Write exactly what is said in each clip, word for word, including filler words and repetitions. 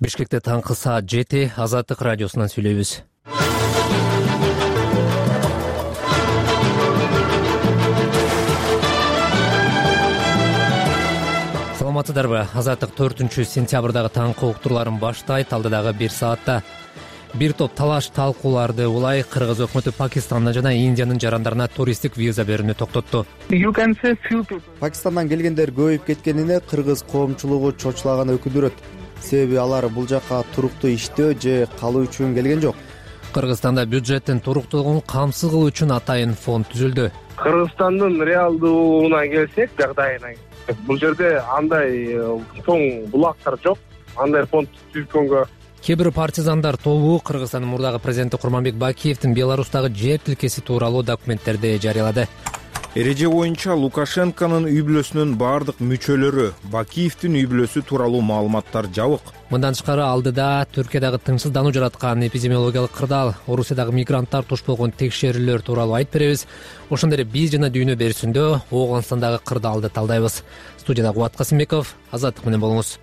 Бишкекте таңкы саат жети, Азаттык радиосунан сүйлөйбүз. Саламатсыздарбы? Азаттык төртүнчү сентябрдагы таңкы уктурларын баштайт. Алдыдагы бир саатта бир топ талаш талкууларды улай Кыргыз өкмөтү Пакистандан жана Индиянын жарандарына туристтик виза берүүнү токтотту. Пакистандан келгендер көбөйүп кеткенине кыргыз коомчулугу чочулаган өкүндүрөт. Себеби алар бул жака туруктуу иштөө же калуу үчүн келген жок. Кыргызстанда бюджеттин туруктуулугун камсыз кылуу үчүн атайын фонд түзүлдү. Кыргызстандын реалдууна келсек, жагдайына бул жерде андай чоң булактар жок, андай фонд түзүлгөнгө. Кээ бир партизандар тобу Кыргызстандын мурдагы президенти Курманбек Бакиевдин Беларустагы жер тилкеси тууралуу документтерди жарыялады. Эреже боюнча Лукашенконун үй бүлөсүнүн бардык мүчөлөрү, Бакиевдин үй бүлөсү тууралуу маалыматтар жабык. Мындан тышкары алдыда Түркиядагы тынчсыздануу жараткан эпидемиологиялык кырдаал, Орусиядагы мигранттар туш болгон текшерүүлөр тууралуу айтып беребиз. Ошондой эле биз жана дүйнө берүүсүндө Ооганстандагы кырдаалды талдайбыз. Студияда Кубат Касымбеков, Азаттык менен болуңуз.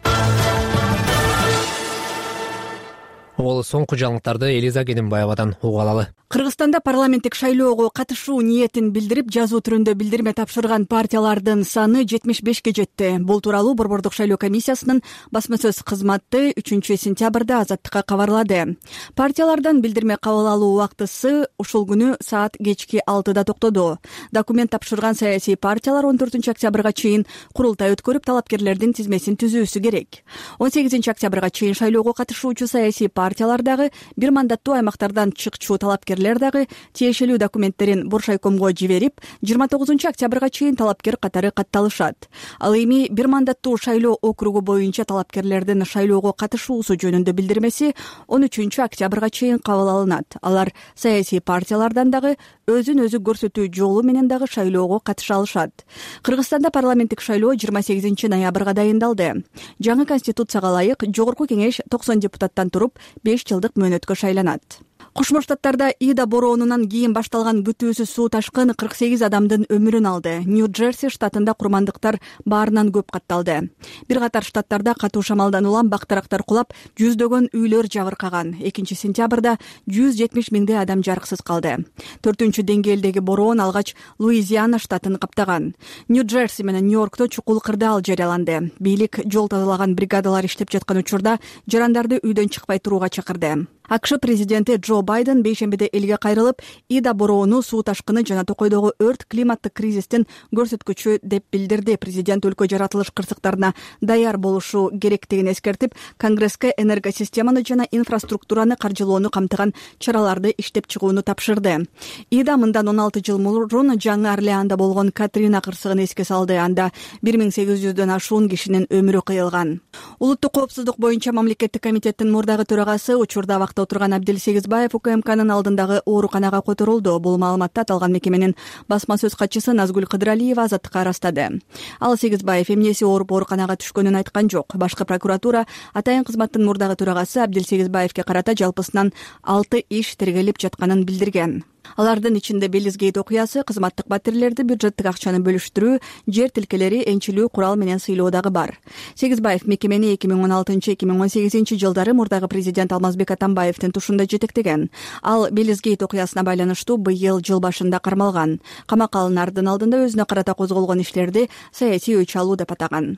Ол соңку жаңылыктарды Элиза Кененбаевадан угуп алалы. Кыргызстанда парламенттик шайлоого катышуу ниетин билдирип, жазуу түрүндө билдирме тапшырган партиялардын саны жетимиш бешке жетти. Бул тууралуу Борбордук шайлоо комиссиясынын басма сөз кызматы үчүнчү сентябрда Азаттыкка кабарлады. Партиялардан билдирме кабыл алуу убактысы ушул күнү саат кечки алтыда токтоду. Документ тапшырган саясий партиялар он төртүнчү октябрга чейин курултай өткөрүп, талапкерлердин тизмесин түзүүсү керек. он сегизинчи октябрга чейин шайлоого катышуучу саясий партиялар дагы, бир мандаттуу аймактардан чыкчу талапкерлер дагы тиешелүү документтерин Боршайкомго жиберип, жыйырма тогузунчу октябрга чейин талапкер катары катталышат. Ал эми бир мандаттуу шайлоо округу боюнча талапкерлердин шайлоого катышуусу жөнүндө билдирмеси он үчүнчү октябрга чейин кабыл алынат. Алар саясий партиялардан дагы өзүн өзү көрсөтүү жолу менен дагы шайлоого катыша алышат. Кыргызстанда парламенттик шайлоо жыйырма сегизинчи ноябрга дайындалды. Жаңы конституцияга ылайык Жогорку кеңеш токсон депутаттан туруп беш жылдык мөөнөткө шайланат. Кошмо Штаттарда Ида бороонунан кийин башталган күтүүсүз суу ташкыны кырк сегиз адамдын өмүрүн алды. Нью-Джерси штатында курмандыктар баарынан көп катталды. Бир катар штаттарда катуу шамалдан улам бактарактар кулап, жүздөгөн үйлөр жабыркаган. экинчи сентябрда жүз жетимиш миңдей адам жарыксыз калды. Төртүнчү деңгээлдеги бороон алгач Луизиана штатын каптаган. Нью-Джерси менен Нью-Йоркто чукул кырдаал жарыяланды. Бийлик жол тазалаган бригадалар иштеп жаткан учурда жарандарды үйдөн чыкпай турууга чакырды. АКШ президенти Джо Байден бейшембиде элге кайрылып, Ида бороону суу ташкыны жана токойдогу өрт климаттык кризистин көрсөткүчү деп билдирди. Президент өлкө жаратылыш кырсыктарына даяр болушу керектигин эскертип, Конгресске энергосистеманы жана инфраструктураны каржылоону камтыган чараларды иштеп чыгууну тапшырды. Ида мындан он алты жыл мурун Жаңы Орлеанда болгон Катрина кырсыгын эске салды. Анда бир миң сегиз жүздөн ашуун кишинин өмүрү кыйылган. Улуттук коопсуздук боюнча мамлекеттик комитеттин мурдагы төрагасы учурда вакытта отурган Абдилсегизбаев УКМКнын алдындагы ооруканага которулду. Бул маалыматты аталган мекеменин басма сөз катчысы Назгүл Кыдыралиева Азаттыкка арастады. Ал Сегизбаев эмнеси ооруп ооруканага түшкөнүн айткан жок. Башкы прокуратура атайын кызматтын мурдагы төрагасы Абдилсегизбаевке карата жалпысынан алты иш тергелип жатканын билдирген. Алардын ичинде Белизгейт окуясы, кызматтык батирлерди бюджеттик акчаны бөлүштүрүү, жер тилкелери, энчилүү, курал менен сыйлоо дагы бар. Сегизбаев мекемени эки миң он алтынчы — эки миң он сегизинчи жылдары мурдагы президент Алмазбек Атамбаевдин тушунда жетектеген. Ал Белизгейт окуясына байланыштуу быйыл жыл башында кармалган. Камакка алынардын алдында өзүнө карата козголгон иштерди саясий өч алуу деп атаган.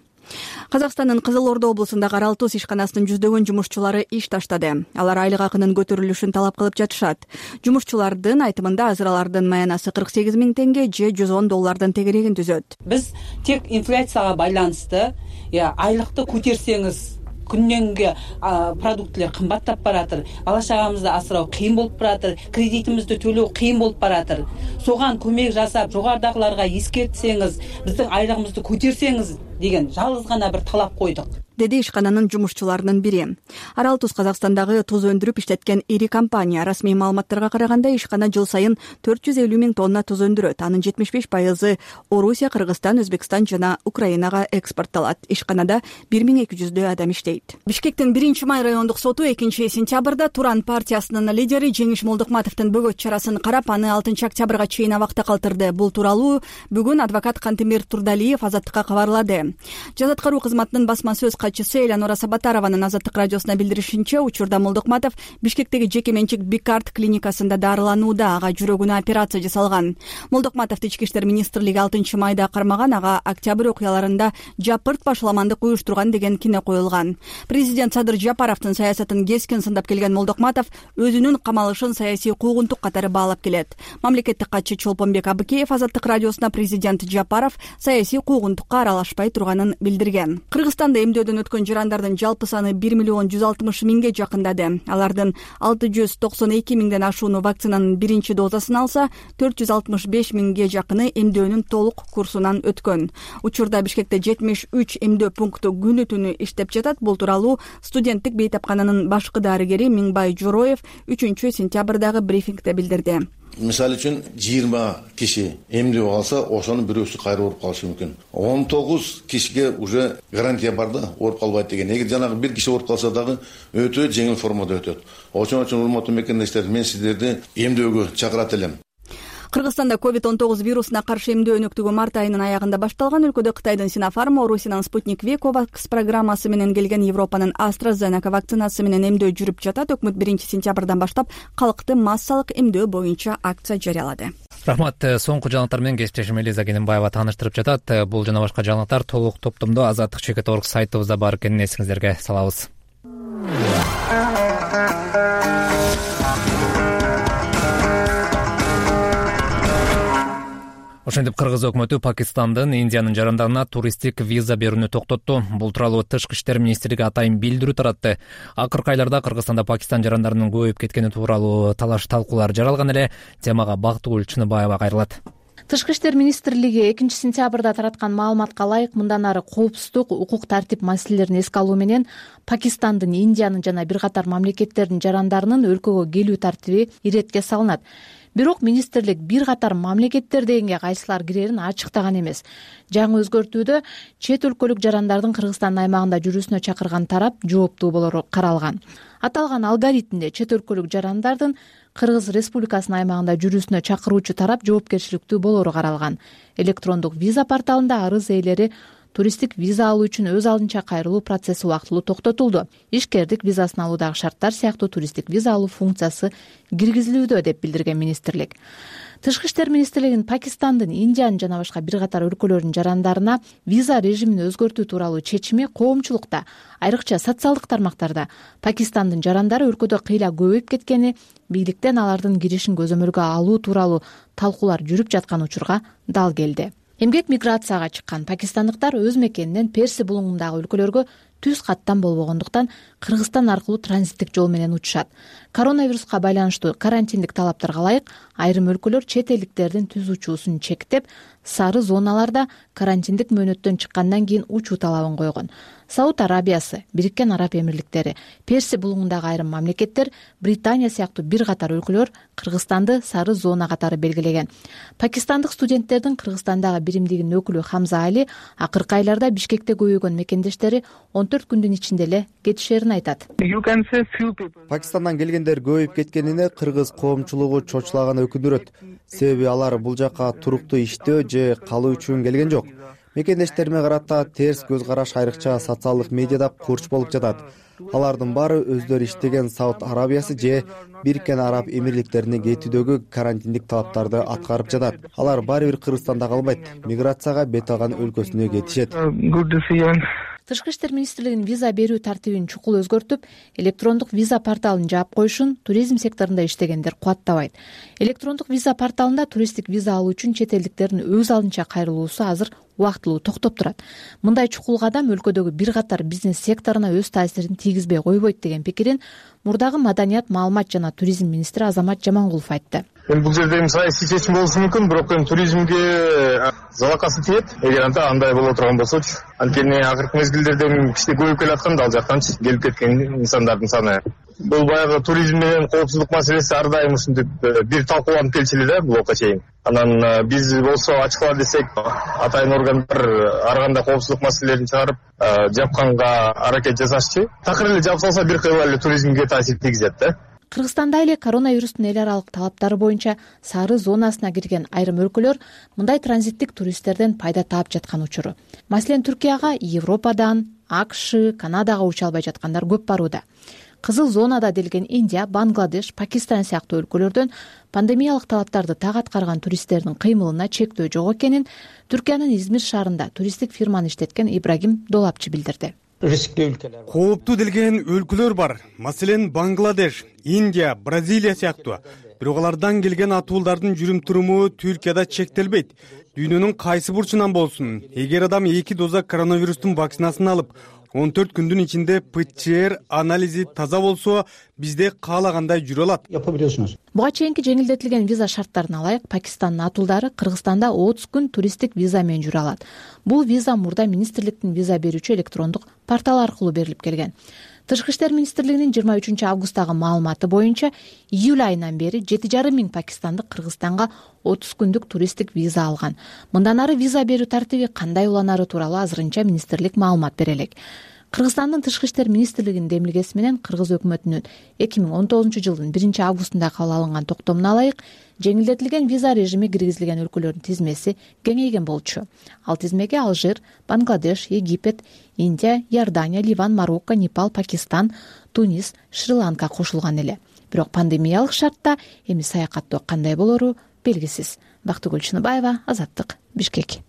Казакстандын Кызыл Ордо облусундагы Аралтус ишканасынын жүздөгөн жумушчулары иш таштады. Алар айлык акынын көтөрүлүшүн талап кылып жатышат. Жумушчулардын айтымында азыр алардын маянасы кырк сегиз миң теңге же жүз он доллардын тегерегин түзөт. Биз тек инфляцияга байланысты айлыкты көтерсеңиз күннен күнгө продуктылар кымбаттап баратыр. Бала чагамызды асыроо кыйын болуп баратыр. Кредитимизди төлөө кыйын болуп баратыр. Соган көмөк жасап, жогорудагыларга эскертсеңиз, биздин айлыгыбызды көтерсеңиз деген жалгыз гана бир талап койдук. деди ишкананын жумушчуларынын бири. Аралтус Казакстандагы туз өндүрүп иштеткен ири компания. Расмий маалыматтарга караганда ишкана жыл сайын төрт жүз элүү миң тонна туз өндүрөт. Анын жетимиш беш пайызы Орусия, Кыргызстан, Өзбекстан жана Украинага экспортталат. Ишканада бир миң эки жүздөй адам иштейт. Бишкектин биринчи май райондук соту экинчи сентябрда Туран партиясынын лидери Жеңиш Молдукматовдун бөгөт чарасын карап, аны алтынчы октябрга чейин абакта калтырды. Бул тууралуу бүгүн адвокат Кантемир Турдалиев Азаттыкка кабарлады. Жаза аткаруу кызматынын басма сөз катчысы Элеонора Сабатарованын Азаттык радиосуна билдиришинче, учурда Молдокматов Бишкектеги жеке менчик Бикарт клиникасында дарыланууда, ага жүрөгүнө операция жасалган. Молдокматовду Ички иштер министрлиги алтынчы майда кармаган, ага октябрь окуяларында жапырт башаламандык уюштурган деген кине коюлган. Президент Садыр Жапаровдун саясатын кескин сындап келген Молдокматов өзүнүн камалышын саясий куугунтук катары баалап келет. Мамлекеттик катчы Чолпонбек Абыкеев Азаттык радиосуна президент Жапаров саясий куугунтукка аралашпай турганын билдирген. Кыргызстанда эмдөөдөн өткөн жарандардын жалпы саны бир миллион жүз алтымыш миңге жакындады. Алардын алты жүз токсон эки миңден ашууну вакцинанын биринчи дозасын алса, төрт жүз алтымыш беш миңге жакыны эмдөөнүн толук курсунан өткөн. Учурда Бишкекте жетимиш үч эмдөө пункту күнү түнү иштеп жатат. Бул тууралуу студенттик бейтапкананын башкы дарыгери Миңбай Жороев үчүнчү сентябрдагы брифингде билдирди. Мисалы үчүн жыйырма киши эмдеп алса, ошонун бирөөсү кайра ооруп калышы мүмкүн. он тогуз кишиге уже гарантия бар да, ооруп калбайт деген. Эгер жанагы бир киши ооруп калса дагы өтө жеңил формада өтөт. Ошон үчүн урматтуу мекендештер, мен сиздерди эмдөөгө чакырат элем. Кыргызстанда ковид он тогуз вирусуна каршы эмдөө өнөктүгү март айынын аягында башталган. Өлкөдө Кытайдын Синофарм, Орусиянын Спутник V Ковакс программасы менен келген Европанын AstraZeneca вакцинасы менен эмдөө жүрүп жатат. Өкмөт биринчи сентябрдан баштап калкты массалык эмдөө боюнча акция жарыялады. Рахмат. Соңку жаңылыктар менен кесиптешим Элиза Кененбаева тааныштырып жатат. Бул жана башка жаңылыктар толук топтомдо азаттык чекит орг сайтыбызда бар экенин эсиңиздерге салабыз. Ошентип Кыргыз өкмөтү Пакистандын Индиянын жарандарына туристтик виза берүүнү токтотту. Бул тууралуу Тышкы иштер министрлиги атайын билдирүү таратты. Акыркы айларда Кыргызстанда Пакистан жарандарынын көбөйүп кеткени тууралуу талаш талкуулар жаралган эле. Темага Бактыгүл Чыныбаева кайрылат. Тышкы иштер министрлиги экинчи сентябрда тараткан маалыматка ылайык мындан ары коопсуздук, укук тартип маселелерин эске алуу менен Пакистандын, Индиянын жана бир катар мамлекеттердин жарандарынын өлкөгө келүү тартиби иретке салынат. Бирок министрлик бир катар мамлекеттер дегенге кайсылар кирерин ачыктаган эмес. Жаңы өзгөртүүдө чет өлкөлүк жарандардын Кыргызстан аймагында жүрүүсүнө чакырган тарап жооптуу болору каралган. Аталган алгоритмде чет өлкөлүк жарандардын Кыргыз Республикасынын аймагында жүрүүсүнө чакыруучу тарап жоопкерчиликтүү болору каралган. Электрондук виза порталында арыз ээлери туристтик виза алуу үчүн өз алдынча кайрылуу процесси убактылуу токтотулду. Ишкердик визасын алуудагы шарттар сыяктуу туристтик виза алуу функциясы киргизилүүдө деп билдирген министрлик. Тышкы иштер министрлигинин Пакистандын, Индиянын жана башка бир катар өлкөлөрдүн жарандарына виза режимин өзгөртүү тууралуу чечими коомчулукта, айрыкча социалдык тармактарда Пакистандын жарандары өлкөдө кыйла көбөйүп кеткени, бийликтен алардын киришин көзөмөлгө алуу тууралуу талкуулар жүрүп жаткан учурга дал келди. Эмгек миграцияга чыккан пакистандыктар өз мекенинен Перси булуңундагы өлкөлөргө түз каттан болбогондуктан Кыргызстан аркылуу транзиттик жол менен учушат. Коронавируска байланыштуу карантиндик талаптарга ылайык айрым өлкөлөр чет элдиктердин түз учуусун чектеп, сары зоналарда карантиндик мөөнөттөн чыккандан кийин учуу талабын койгон. Сауд Арабиясы, Бириккен Араб Эмирликтери, Перси булуңундагы айрым мамлекеттер, Британия сыяктуу бир катар өлкөлөр Кыргызстанды сары зона катары белгилеген. Пакистандык студенттердин Кыргызстандагы биримдигинин өкүлү Хамза Али акыркы айларда Бишкекте көбөйгөн мекендештери он төрт күндүн ичинде эле кетишерин айтат. Пакистандан келгендер көбөйүп кеткенине кыргыз коомчулугу чочулаганы өкүндүрөт. Себеби алар бул жака туруктуу иштөө же калуу үчүн келген жок. Мекендештериме карата терс көз караш айрыкча социалдык медиада курч болуп жатат. Алардын баары өздөрү иштеген Сауд Арабиясы же Бириккен Араб Эмирликтерине кетүүдөгү карантиндик талаптарды аткарып жатат. Алар баары бир Кыргызстанда калбайт, миграцияга бет алган өлкөсүнө кетишет. Тышкы иштер министрлигинин виза берүү тартибин чукул өзгөртүп, электрондук виза порталын жаап коюшун туризм секторунда иштегендер кубаттабайт. Электрондук виза порталында туристтик виза алуу үчүн чет элдиктердин өз алдынча кайрылуусу азыр убактылуу токтоп турат. Мындай чукул кадам өлкөдөгү бир катар бизнес секторуна өз таасирин тийгизбей койбойт деген пикирин мурдагы маданият, маалымат жана туризм министри Азамат Жамангулов айтты. Эми бул жерде эми саясий чечим болушу мүмкүн, бирок эми туризмге залакасы тиет. Эгер анда андай боло турган болсочу, анткени акыркы мезгилдерде кичине көбөйүп келаткан, ал жактанчы келип кеткен инсандардын саны. Бул баягы туризм менен коопсуздук маселеси ар дайым ушинтип бир талкууланып келчү эле да блокко чейин. Анан биз болсо ачыклар десек, атайын органдар ар кандай коопсуздук маселелерин чыгарып, жапканга аракет жасашчы. Такыр эле жапсалса бир кыйла эле туризмге таасир тийгизет да. Кыргызстанда эле коронавирустун эл аралык талаптары боюнча сары зонасына кирген айрым өлкөлөр мындай транзиттик туристтерден пайда таап жаткан учуру. Маселен, Түркияга Европадан, акш, Канадага уча албай жаткандар көп барууда. Кызыл зонада делген Индия, Бангладеш, Пакистан сыяктуу өлкөлөрдөн пандемиялык талаптарды так аткарган туристтердин кыймылына чектөө жок экенин Түркиянын Измир шаарында туристтик фирманы иштеткен Ибрагим Долапчы билдирди. Кооптуу делген өлкөлөр бар. Маселен, Бангладеш, Индия, Бразилия сыяктуу. Бирок алардан келген атуулдардын жүрүм-туруму Түркияда чектелбейт. Дүйнөнүн кайсы бурчунан болсун, эгер адам эки доза коронавирустун вакцинасын алып, он төрт күндүн ичинде ПЦР анализи таза болсо, бизде каалагандай жүрө алат. Буга чейинки жеңилдетилген виза шарттарына ылайык Пакистандын атуулдары Кыргызстанда отуз күн туристтик виза менен жүрө алат. Бул виза мурда министрликтин виза берүүчү электрондук порталы аркылуу берилип келген. Тышкы иштер министрлигинин жыйырма үчүнчү августтагы маалыматы боюнча июль айынан бери жети жарым миң пакистандык Кыргызстанга отуз күндүк туристтик виза алган. Мындан ары виза берүү тартиби кандай уланары тууралуу азырынча министрлик маалымат бере элек. Кыргызстандын тышкы иштер министрлигинин демилгеси менен Кыргыз өкмөтүнүн эки миң он тогузунчу жылдын биринчи августунда кабыл алынган токтомуна ылайык жеңилдетилген виза режими киргизилген өлкөлөрдүн тизмеси кеңейген болчу. Ал тизмеге Алжир, Бангладеш, Египет, Индия, Иордания, Ливан, Марокко, Непал, Пакистан, Тунис, Шри-Ланка кошулган эле. Бирок пандемиялык шартта эми саякаттоо кандай болору белгисиз. Бактыгүл Чыныбаева, Азаттык, Бишкек.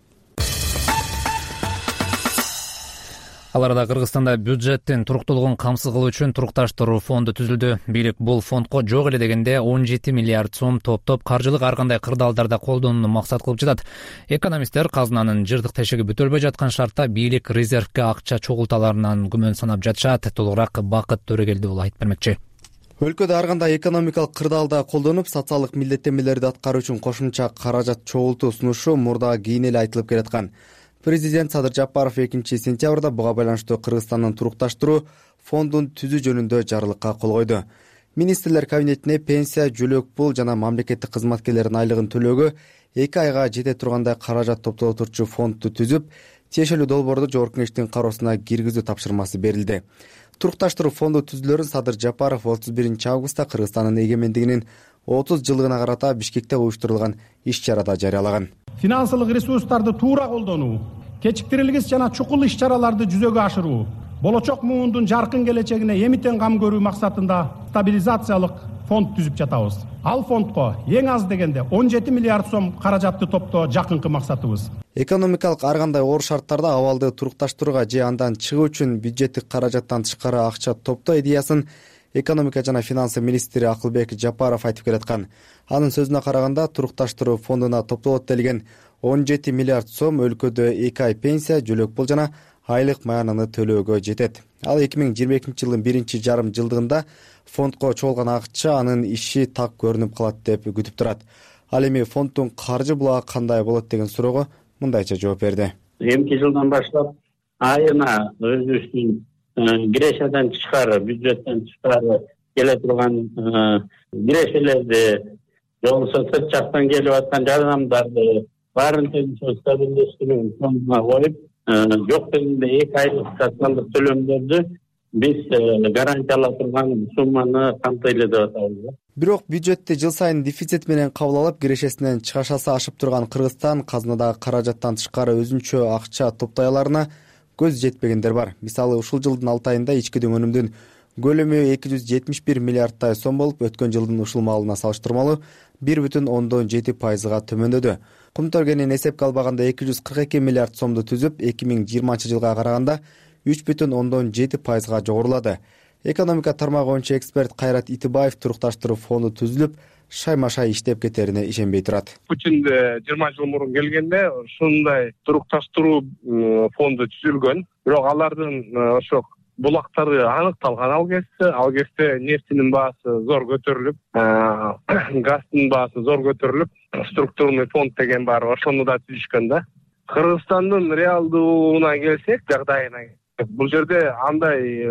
Ал арада Кыргызстанда бюджеттин туруктуулугун камсыз кылуу үчүн турукташтыруу фонду түзүлдү. Бийлик бул фондко жок эле дегенде он жети миллиард сом топтоп каржылык ар кандай кырдаалдарда колдонууну максат кылып жатат. Экономисттер казынанын жыртык тешеги бүтөлбөй жаткан шартта бийлик резервге акча чогулталарынан күмөн санап жатышат. Толугураак Бакыт Төрөгелди ул айтып бермекчи. Өлкөдө ар кандай экономикалык кырдаалда колдонуп, социалдык милдеттенмелерди аткаруу үчүн кошумча каражат чогултуу сунушу мурда кийин эле айтылып келаткан. Президент Садыр Жапаров экинчи сентябрда буга байланыштуу Кыргызстандын турукташтыруу фондун түзүү жөнүндө жарлыкка кол койду. Министрлер кабинетине пенсия, жөлөк пул жана мамлекеттик кызматкерлердин айлыгын төлөөгө эки айга жете тургандай каражат топтоп турчу фондду түзүп, тиешелүү долбоорду Жогорку Кеңештин кароосуна киргизүү тапшырмасы берилди. Турукташтыруу фонду түзүлөрүн Садыр Жапаров отуз биринчи августта Кыргызстандын эгемендигинин отуз жылдыгына карата Бишкекте уюштурулган иш-чарада жарыялаган. Финансылык ресурстарды туура колдонуу, кечиктирилгис жана чукул иш-чараларды жүзөгө ашыруу, болочок муундун жаркын келечегине эмитен кам көрүү максатында стабилизациялык фонд түзүп жатабыз. Ал фондко эң аз дегенде он жети миллиард сом каражатты топтоо жакынкы максатыбыз. Экономикалык ар кандай оор шарттарда абалды турукташтырууга же андан чыгуу үчүн бюджеттик каражаттан тышкары акча топтоо идеясын экономика жана финансы министри Акылбек Жапаров айтып келаткан. Анын сөзүнө караганда, турукташтыруу фондуна топтолот делген он жети миллиард сом өлкөдө эки ай пенсия, жөлөк пул жана айлык маянаны төлөөгө жетет. Ал эки миң жыйырма экинчи жылдын биринчи жарым жылдыгында фондко чогулган акча анын иши так көрүнүп калат деп күтүп турат. Ал эми фонддун каржы булагы кандай болот деген суроого мындайча жооп берди. Эмки жылдан баштап айына өзүбүздүн кирешеден тышкары, бюджеттен тышкары келе турган кирешелерди, жолсо сырт жактан келип аткан жардамдарды баарын тең стабилдештирүү фондуна коюп, жок дегенде эки айлык социалдык төлөмдөрдү биз гарантия ала турган сумманы камтайлы деп атабыз. Бирок бюджетти жыл сайын дефицит менен кабыл алып, кирешесинен чыгашасы ашып турган Кыргызстан казынадагы каражаттан тышкары өзүнчө акча топтой аларына көз жетпегендер бар. Мисалы, ушул жылдын алты айында ички өнүмдүн көлөмү эки жүз жетимиш бир миллиардтай сом болуп, өткөн жылдын ушул маалына салыштырмалуу бир бүтүн ондон жети пайызга төмөндөдү. Кумтөргенин эсепке албаганда эки жүз кырк эки миллиард сомду түзүп, эки миң жыйырманчы жылга караганда үч бүтүн ондон жети пайызга жогорулады. Экономика тармагы боюнча эксперт Кайрат Итибаев турукташтыруу фонду түзүлүп, шайма-шай иштеп кетерине ишенбей турат. Бүтүндө жыйырма жыл мурун келгенде ушундай турукташтыруу фонду түзүлгөн. Бирок алардын ошо булактары аныкталган ал кезде. Ал кезде нефтинин баасы зор көтөрүлүп, газдын баасы зор көтөрүлүп, структурный фонд деген бар, ошону да түзүшкөн да. Кыргызстандын реалдууна келсек, жагдайына, бул жерде андай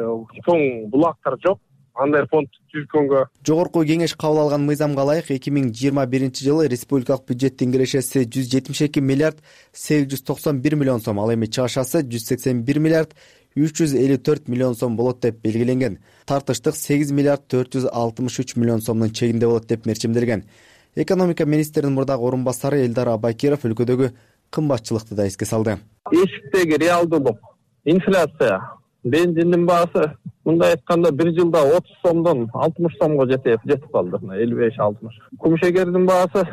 чоң булактар жок. Андай фонд түзгөнгө Жогорку Кеңеш кабыл алган мыйзамга ылайык эки миң жыйырма биринчи жылы республикалык бюджеттин кирешеси жүз жетимиш эки миллиард сегиз жүз токсон бир миллион сом, ал эми чыгашасы жүз сексен бир миллиард үч жүз элүү төрт миллион сом болот деп белгиленген. Тартыштык сегиз миллиард төрт жүз алтымыш үч миллион сомдун чегинде болот деп мерчимделген. Экономика министринин мурдагы орун басары Элдар Абайкиров өлкөдөгү кымбатчылыкты да эске салды. Эшиктеги реалдуулук, инфляция Бензиндин баасы мындай айтканда бир жылда отуз сомдон алтымыш сомго жетип жетип калды. элүү беш алтымыш. Кумшегердин баасы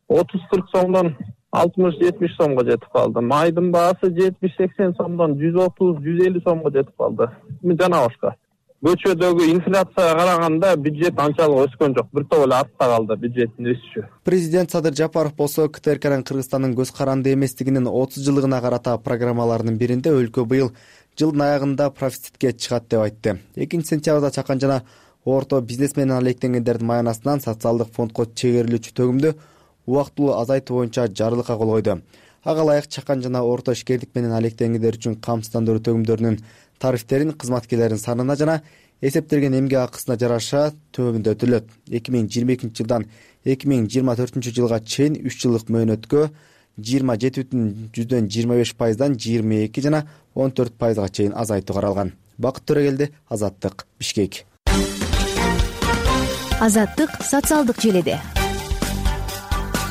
отуз кырк сомдон алтымыш жетимиш сомго жетип калды. Майдын баасы жетимиш сексен сомдон жүз отуз жүз элүү сомго жетип калды. Жана башка. Көчөдөгү инфляцияга караганда бюджет анчалык өскөн жок. Бир топ эле артта калды бюджеттин өсүшү. Президент Садыр Жапаров болсо КТРКнын Кыргызстандын көз каранды эместигинин отуз жылдыгына карата программаларынын биринде өлкө быйыл жылдын аягында профицитке чыгат деп айтты. экинчи сентябрда чакан жана орто бизнес менен алектенгендердин маянасынан социалдык фондко чегерилүүчү төгүмдү убактылуу азайтуу боюнча жарлыкка кол койду. Ага ылайык чакан жана орто ишкерлик менен алектенгендер үчүн камсыздандыруу төгүмдөрүнүн тарифтерин кызматкерлердин санына жана эсептелген эмгек акысына жараша төмөндөтүлөт. эки миң жыйырма экинчи жылдан эки миң жыйырма төртүнчү жылга чейин үч жылдык мөөнөткө жыйырма жети бүтүн жүздөн жыйырма беш пайыздан жыйырма эки жана он төрт пайызга чейин азайтуу каралган. Бакыт Төрөгелди, Азаттык, Бишкек. Азаттык социалдык желеде.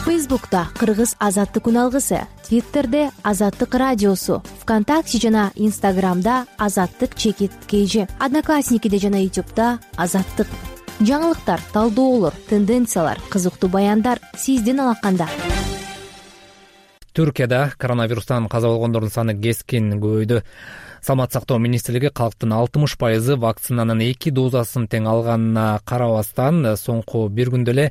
Фейсбукта Кыргыз Азаттык үналгысы, Твиттерде Азаттык радиосу, ВКонтакте жана Инстаграмда Азаттык чекит кж, Одноклассникиде жана Ютубта Азаттык. Жаңылыктар, талдоолор, тенденциялар, кызыктуу баяндар сиздин алаканда. Түркияда коронавирустан каза болгондордун саны кескин көбөйдү. Саламат сактоо министрлиги калктын алтымыш пайызы вакцинанын эки дозасын тең алганына карабастан соңку бир күндө эле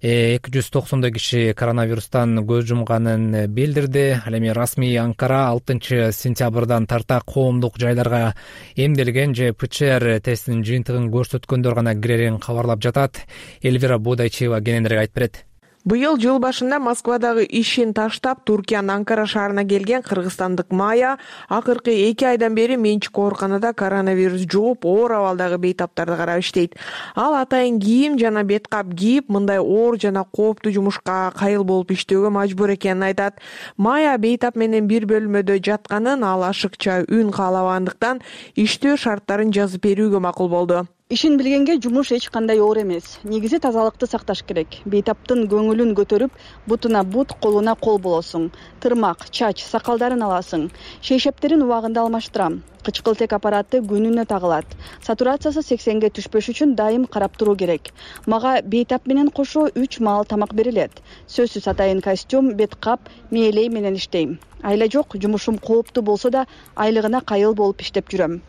эки жүз токсондой киши коронавирустан көз жумганын билдирди. Ал эми расмий Анкара алтынчы сентябрдан тарта коомдук жайларга эмделген же ПЦР тестинин жыйынтыгын көрсөткөндөр гана кирерин кабарлап жатат. Эльвира Бодайчева кененирээк айтып берет. Быйыл жыл башында Москвадагы ишин таштап Туркиянын Анкара шаарына келген кыргызстандык Майя акыркы эки айдан бери менчик ооруканада коронавирус жугуп, оор абалдагы бейтаптарды карап иштейт. Ал атайын кийим жана бет кап кийип, мындай оор жана кооптуу жумушка кайыл болуп иштөөгө мажбур экенин айтат. Майя бейтап менен бир бөлмөдө жатканын, ал ашыкча үн каалабагандыктан иштөө шарттарын жазып берүүгө макул болду. Ишин билгенге жумуш эч кандай оор эмес. Негизи тазалыкты сакташ керек. Бейтаптын көңүлүн көтөрүп, бутуна бут, колуна кол болосуң. Тырмак, чач, сакалдарын аласың. Шейшептерин убагында алмаштырам. Кычкылтек аппараты күнүнө тагылат. Сатурациясы сексенге түшпөш үчүн дайым карап туруу керек. Мага бейтап менен кошо үч маал тамак берилет. Сөзсүз атайын костюм, бет кап, мээлей менен иштейм. Айла жок, жумушум кооптуу болсо да айлыгына кайыл болуп иштеп жүрөм.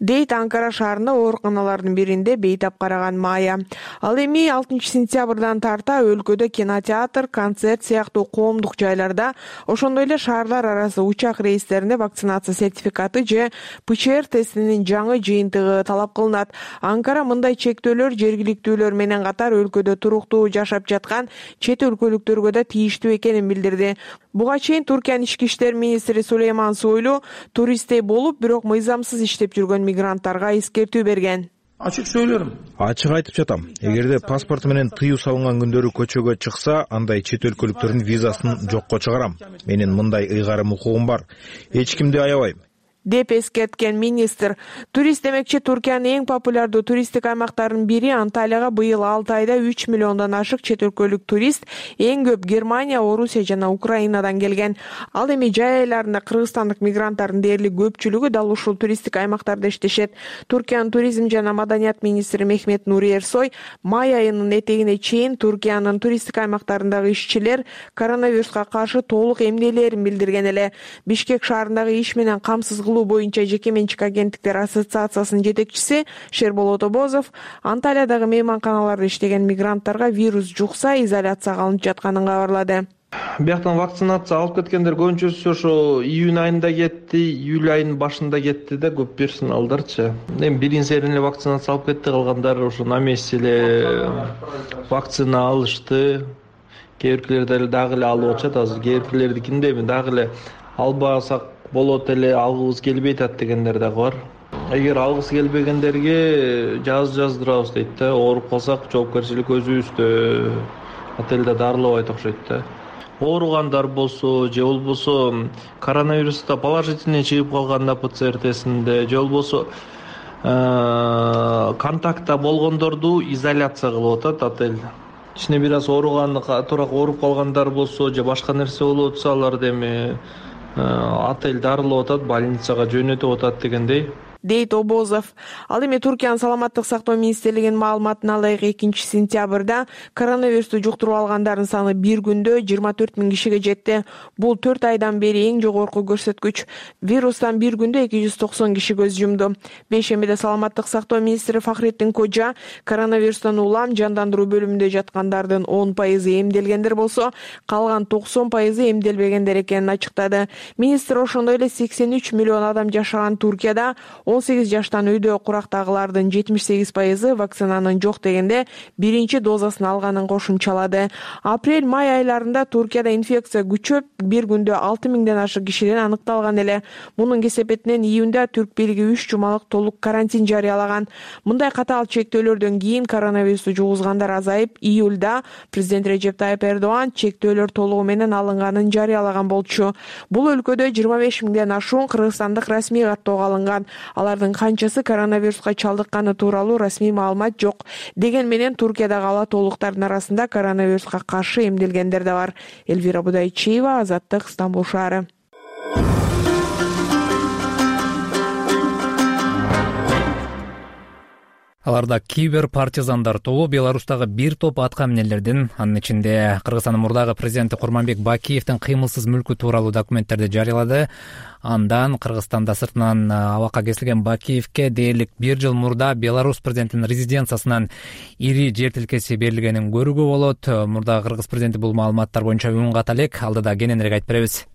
Дейт Анкара шаарында ооруканалардын биринде бейтап караган Майя. Ал эми алтынчы сентябрдан тарта өлкөдө кинотеатр, концерт сыяктуу коомдук жайларда, ошондой эле шаарлар арасы учак рейстеринде вакцинация сертификаты же ПЦР тестинин жаңы жыйынтыгы талап кылынат. Анкара мындай чектөөлөр жергиликтүүлөр менен катар өлкөдө туруктуу жашап жаткан чет өлкөлүктөргө да тийиштүү экенин билдирди. Буга чейин Туркиянын ички иштер министри Сулейман Сойлу туристтей болуп, бирок мыйзамсыз иштеп жүргөн мигранттарга эскертүү берген. Ачык сөйлөрүм. Ачык айтып жатам. Эгерде паспорту менен тыюу салынган күндөрү көчөгө чыкса, андай чет өлкөлүктөрдүн визасын жокко чыгарам. Менин мындай ыйгарым укугум бар. Эч кимди аябайм. деп эскерткен министр. Турист демекчи Туркиянын эң популярдуу туристтик аймактарынын бири Анталияга быйыл алты айда үч миллиондон ашык чет өлкөлүк турист, эң көп Германия, Орусия жана Украинадан келген. Ал эми жай айларында кыргызстандык мигранттардын дээрлик көпчүлүгү дал ушул туристтик аймактарда иштешет. Туркиянын туризм жана маданият министри Мехмет Нури Эрсой май айынын этегине чейин Туркиянын туристтик аймактарындагы ишчилер коронавируска каршы толук эмделээрин билдирген эле. Бишкек шаарындагы иш менен камсыз боюнча жеке менчик агенттиктер ассоциациясынын жетекчиси Шерболот Обозов Анталиядагы мейманканаларда иштеген мигранттарга вирус жукса изоляцияга алынып жатканын кабарлады. Бияктан вакцинация алып кеткендер көбүнчөсү ошо июнь айында кетти, июль айынын башында кетти да, көп персоналдарчы. Эми биринчи серин эле вакцинация алып кетти, калгандар ошо на месте эле вакцина алышты. Кээ биркилер дагы эле алып атышат азыр, кээ биркилердикинде эми дагы эле албасак болот эле, алгыбыз келбей атат дегендер дагы бар. Эгер алгысы келбегендерге жаз жаздырабыз дейт да, ооруп калсак жоопкерчилик өзүбүздө, отелде дарылабайт окшойт да. Ооругандар болсо же болбосо коронавируста положительный чыгып калганда ПЦР тестинде, же болбосо контактта болгондорду изоляция кылып атат отель. Ичине бир аз ооруган, туура ооруп калгандар болсо же башка нерсе болуп атса аларды эми отель дарылап атат, больницага жөнөтүп атат дегендей. дейт Обозов. Ал эми Туркиянын саламаттык сактоо министрлигинин маалыматына ылайык экинчи сентябрда коронавирусту жуктуруп алгандардын саны бир күндө жыйырма төрт миң кишиге жетти. Бул төрт айдан бери эң жогорку көрсөткүч. Вирустан бир күндө эки жүз токсон киши көз жумду. Бейшембиде саламаттык сактоо министри Фахреттин Кожа коронавирустан улам жандандыруу бөлүмүндө жаткандардын он пайызы эмделгендер болсо, калган токсон пайызы эмделбегендер экенин ачыктады. Министр ошондой эле сексен үч миллион адам жашаган Туркияда он сегиз жаштан үйдө курактагылардын жетимиш сегиз пайызы вакцинанын жок дегенде биринчи дозасын алганын кошумчалады. Апрель-май айларында Туркияда инфекция күчөп, бир күндө алты миңден ашык кишиден аныкталган эле. Мунун кесепетинен июнда түрк бийлиги үч жумалык толук карантин жарыялаган. Мындай катаал чектөөлөрдөн кийин коронавирусту жугузгандар азайып, июлда президент Режеп Тайып Эрдоган чектөөлөр толугу менен алынганын жарыялаган болчу. Бул өлкөдө жыйырма беш миңден ашуун кыргызстандык расмий каттоого алынган. Алардын канчасы коронавируска чалдыкканы тууралуу расмий маалымат жок. Деген менен Туркиядагы ала толуктардын арасында коронавируска каршы эмделгендер да бар. Элвира Будайчиева, Азаттык, Стамбул шаары. Аларда кибер партизандар тобу Беларустагы бир топ атка минерлердин, анын ичинде Кыргызстандын мурдагы президенти Курманбек Бакиевдин кыймылсыз мүлкү тууралуу документтерди жарыялады. Андан Кыргызстанда сыртынан абакка кесилген Бакиевке дээрлик бир жыл мурда Беларусь президентинин резиденциясынан ири жер тилкеси берилгенин көрүүгө болот. Мурдагы Кыргыз президенти бул маалыматтар боюнча үн ката элек. Алдыда кененирээк айтып беребиз.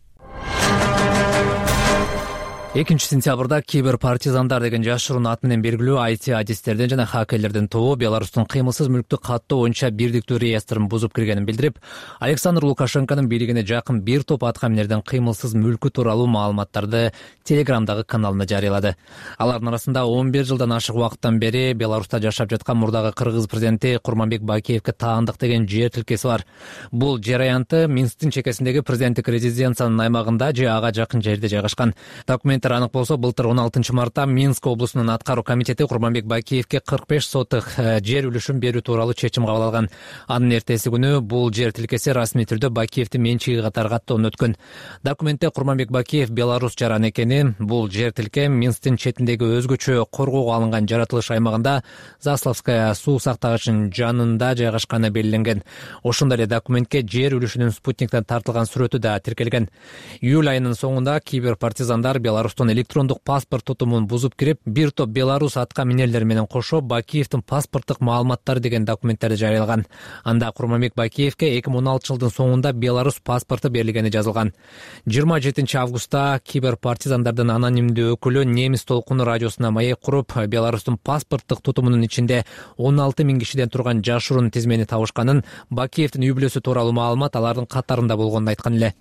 экинчи сентябрда кибер партизандар деген жашыруун ат менен белгилүү ай ти адистердин жана хакерлердин тобу Беларустун кыймылсыз мүлктү каттоо боюнча бирдиктүү реестрин бузуп киргенин билдирип, Александр Лукашенконун бийлигине жакын бир топ атка минердин кыймылсыз мүлкү тууралуу маалыматтарды Телеграмдагы каналына жарыялады. Алардын арасында он бир жылдан ашык убакыттан бери Беларуста жашап жаткан мурдагы Кыргыз президенти Курманбек Бакиевке таандык деген жер тилкеси бар. Бул жер аянты Минсктин чекесиндеги президенттик резиденциянын аймагында же ага жакын жерде жайгашкан. Документтер анык болсо, былтыр он алтынчы мартта Минск облусунун аткаруу комитети Курманбек Бакиевке кырк беш сотых жер үлүшүн берүү тууралуу чечим кабыл алган. Анын эртеси күнү бул жер тилкеси расмий түрдө Бакиевдин менчиги катары каттоон өткөн. Документте Курманбек Бакиев Беларусь жаран экени, бул жер тилке Минсктин четиндеги өзгөчө коргоого алынган жаратылыш аймагында Заславская суу сактагычынын жанында жайгашканы белгиленген. Ошондой эле документке жер үлүшүнүн спутниктен тартылган сүрөтү да тиркелген. Июль айынын соңунда кибер партизандар Беларустун электрондук паспорт тутумун бузуп кирип, бир топ Беларусь атка минерлери менен кошо Бакиевдин паспорттук маалыматтары деген документтерди жарыялаган. Анда Курманбек Бакиевке эки миң он алтынчы жылдын соңунда Беларусь паспорту берилгени жазылган. жыйырма жетинчи августта кибер партизандардын анонимдүү өкүлү Немис толкуну радиосуна маек куруп, Беларустун паспорттук тутумунун ичинде он алты миң кишиден турган жашыруун тизмени табышканын, Бакиевдин үй бүлөсү тууралуу маалымат алардын катарында болгонун айткан эле.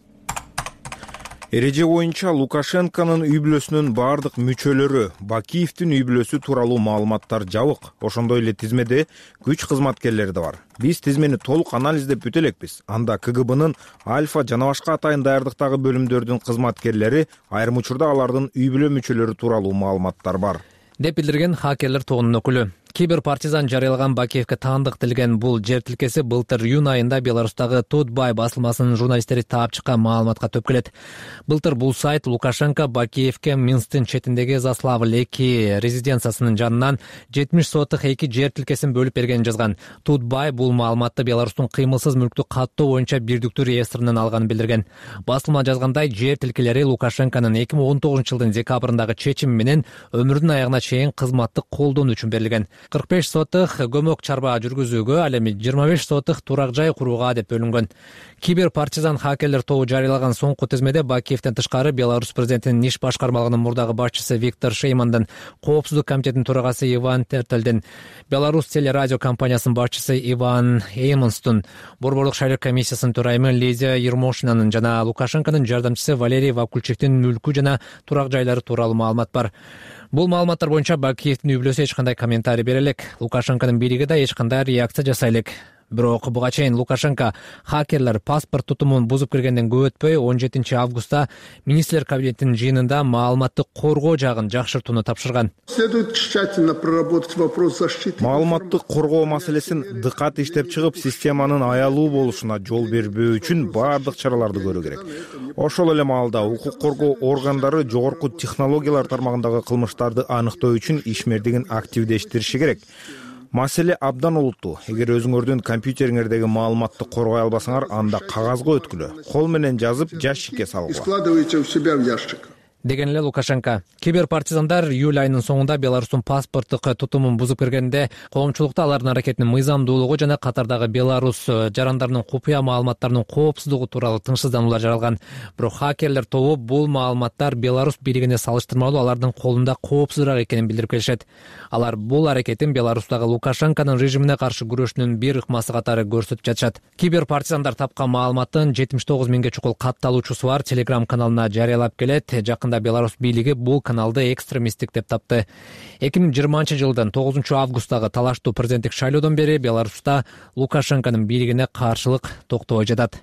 Эреже боюнча Лукашенконун үй бүлөсүнүн бардык мүчөлөрү, Бакиевдин үй бүлөсү тууралуу маалыматтар жабык. Ошондой эле тизмеде күч кызматкерлери да бар. Биз тизмени толук анализдеп бүтө элекпиз. Анда ка гэ б'нын Альфа жана башка атайын даярдыктагы бөлүмдөрдүн кызматкерлери, айрым учурда алардын үй бүлө мүчөлөрү тууралуу маалыматтар бар, деп билдирген хакерлер тобунун өкүлү. Кибер партизан жарыялаган Бакиевке таандык делген бул жер тилкеси былтыр июнь айында Беларустагы Тутбай басылмасынын журналисттери таап чыккан маалыматка төп келет. Былтыр бул сайт Лукашенко Бакиевке Минсктин четиндеги Заславль эки резиденциясынын жанынан жетимиш сотых эки жер тилкесин бөлүп бергенин жазган. Тутбай бул маалыматты Беларустун кыймылсыз мүлктү каттоо боюнча бирдиктүү реестринен алганын билдирген. Басылма жазгандай, жер тилкелери Лукашенконун эки миң он тогузунчу жылдын декабрындагы чечими менен өмүрүнүн аягына чейин кызматтык колдонуу үчүн берилген. кырк беш сотых көмөк чарба жүргүзүүгө, ал эми жыйырма беш сотых турак жай курууга деп бөлүнгөн. Кибер партизан хакерлер тобу жарыялаган соңку тизмеде Бакиевден тышкары Беларусь президентинин иш башкармалыгынын мурдагы башчысы Виктор Шеймандын, коопсуздук комитетинин төрагасы Иван Тертелдин, Беларусь телерадио компаниясынын башчысы Иван Эймонстун, Борборлук шайлоо комиссиясынын төрайымы Лидия Ермошинанын жана Лукашенконун жардамчысы Валерий Вакульчиктин мүлкү жана турак жайлары тууралуу маалымат бар. Бул маалыматтар боюнча Бакиевдин үй бүлөсү эч кандай комментарий бере элек. Лукашенконун бийлиги да эч кандай реакция жасай элек. Бирок буга чейин Лукашенко хакерлер паспорт тутумун бузуп киргенден көп өтпөй он жетинчи августта министрлер кабинетинин жыйынында маалыматты коргоо жагын жакшыртууну тапшырган. Следует тщательно проработать вопрос защиты. Маалыматты коргоо маселесин дыкат иштеп чыгып, системанын аялуу болушуна жол бербөө үчүн баардык чараларды көрүү керек. Ошол эле маалда укук коргоо органдары жогорку технологиялар тармагындагы кылмыштарды аныктоо үчүн ишмердигин активдештириши керек. Маселе абдан олуттуу. Эгер өзүңөрдүн компьютериңердеги маалыматты коргой албасаңар, анда кагазга өткүлө, кол менен жазып ящикке салгыла. Складывайте у себя в ящик. Деген эле Лукашенко. Киберпартизандар июль айынын соңунда Беларустун паспорттук тутумун бузуп киргенде коомчулукта алардын аракетинин мыйзамдуулугу жана катардагы Беларус жарандарынын купуя маалыматтарынын коопсуздугу тууралуу тынчсыздануулар жаралган. Бирок хакерлер тобу бул маалыматтар Беларус бийлигине салыштырмалуу алардын колунда коопсузураак экенин билдирип келишет. Алар бул аракетин Беларустагы Лукашенконун режимине каршы күрөшүнүн бир ыкмасы катары көрсөтүп жатышат. Киберпартизандар тапкан маалыматтын жетимиш тогуз миңге чукул катталуучусу бар Telegram каналына жарыялап келет. Жакында Беларус бийлиги бул каналды экстремисттик деп тапты. эки миң жыйырманчы жылдын тогузунчу августтагы талаштуу президенттик шайлоодон бери Беларуста Лукашенконун бийлигине каршылык токтобой жатат.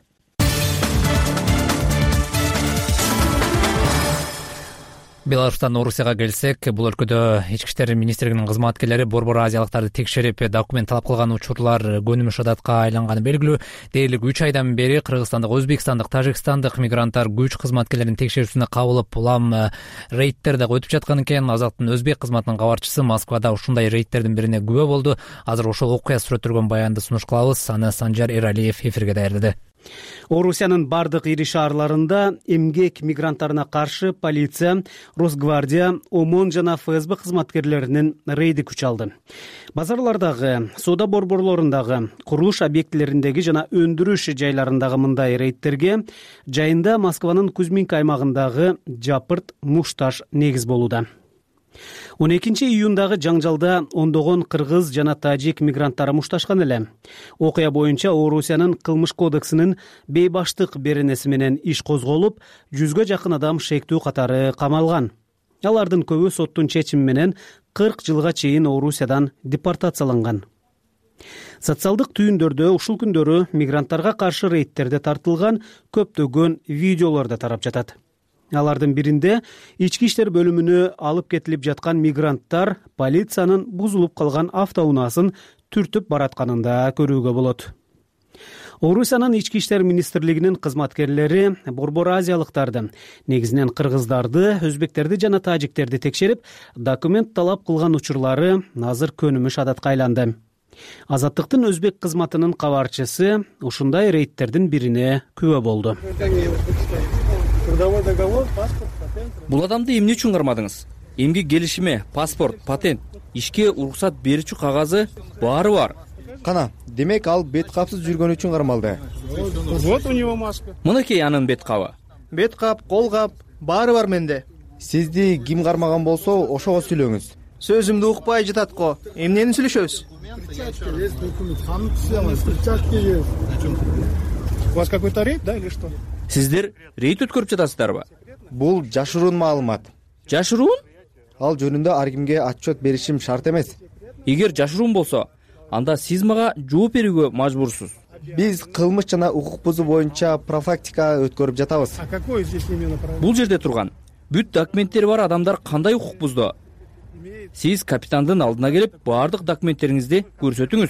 Беларустан Орусияга келсек, бул өлкөдө ички иштер министрлигинин кызматкерлери Борбор Азиялыктарды текшерип, документ талап кылган учурлар көнүмүш адатка айланганы белгилүү. Дээрлик үч айдан бери Кыргызстандык, Өзбекстандык, Тажикстандык мигранттар күч кызматкерлеринин текшерүүсүнө кабылып, улам рейдтер да өтүп жаткан экен. Азаттын өзбек кызматынын кабарчысы Москвада ушундай рейдтердин бирине күбө болду. Азыр ошол окуя сүрөттөлгөн баянды сунуш кылабыз. Аны Санжар Эралиев эфирге даярдады. Орусиянын бардык ири шаарларында эмгек мигранттарына каршы полиция, Росгвардия, ОМОН жана ФСБ кызматкерлеринин рейди күч алды. Базарлардагы, соода борборлорундагы, курулуш объектилериндеги жана өндүрүш жайларындагы мындай рейдтерге жайында Москванын Кузьминка аймагындагы Жапырт, Мушташ негиз болууда. он экинчи июндагы жаңжалда ондогон кыргыз жана тажик мигранттары мушташкан эле. Окуя боюнча Орусиянын кылмыш кодексинин бейбаштык беренеси менен иш козголуп, жүзгө жакын адам шектүү катары камалган. Алардын көбү соттун чечими менен кырк жылга чейин Орусиядан депортацияланган. Социалдык түйүндөрдө ушул күндөрү мигранттарга каршы рейдтерде тартылган көптөгөн видеолор да тарап жатат. Алардын биринде ички иштер бөлүмүнө алып кетилип жаткан мигранттар полициянын бузулуп калган автоунаасын түртүп баратканын да көрүүгө болот. Орусиянын ички иштер министрлигинин кызматкерлери Борбор Азиялыктарды, негизинен кыргыздарды, өзбектерди жана тажиктерди текшерип, документ талап кылган учурлары азыр көнүмүш адатка айланды. Азаттыктын өзбек кызматынын кабарчысы ушундай рейдтердин бирине күбө болду. Бул адамды эмне үчүн кармадыңыз? Эмгек келишими, паспорт, патент, ишке уруксат берүүчү кагазы баары бар. Кана, демек ал бет капсыз жүргөн үчүн кармалды. Вот у него маска. Мынакей анын бет кабы. Бет кап, кол кап, баары бар менде. Сизди ким кармаган болсо, ошого сүйлөңүз. Сөзүмдү укпай жатат-го. Эмнени сүйлөшөбүз? У вас какой-то рейд, да, или что? Сиздер рейд өткөрүп жатасыздарбы? Бул жашыруун маалымат. Жашыруун? Ал жөнүндө ар кимге отчет беришим шарт эмес. Эгер жашыруун болсо, анда сиз мага жооп берүүгө мажбурсуз. Биз кылмыш жана укук бузуу боюнча профилактика өткөрүп жатабыз. А какой здесь именно профилактика? Бул жерде турган бүт документтери бар адамдар кандай укук бузду? Сиз капитандын алдына келип, баардык документтериңизди көрсөтүңүз.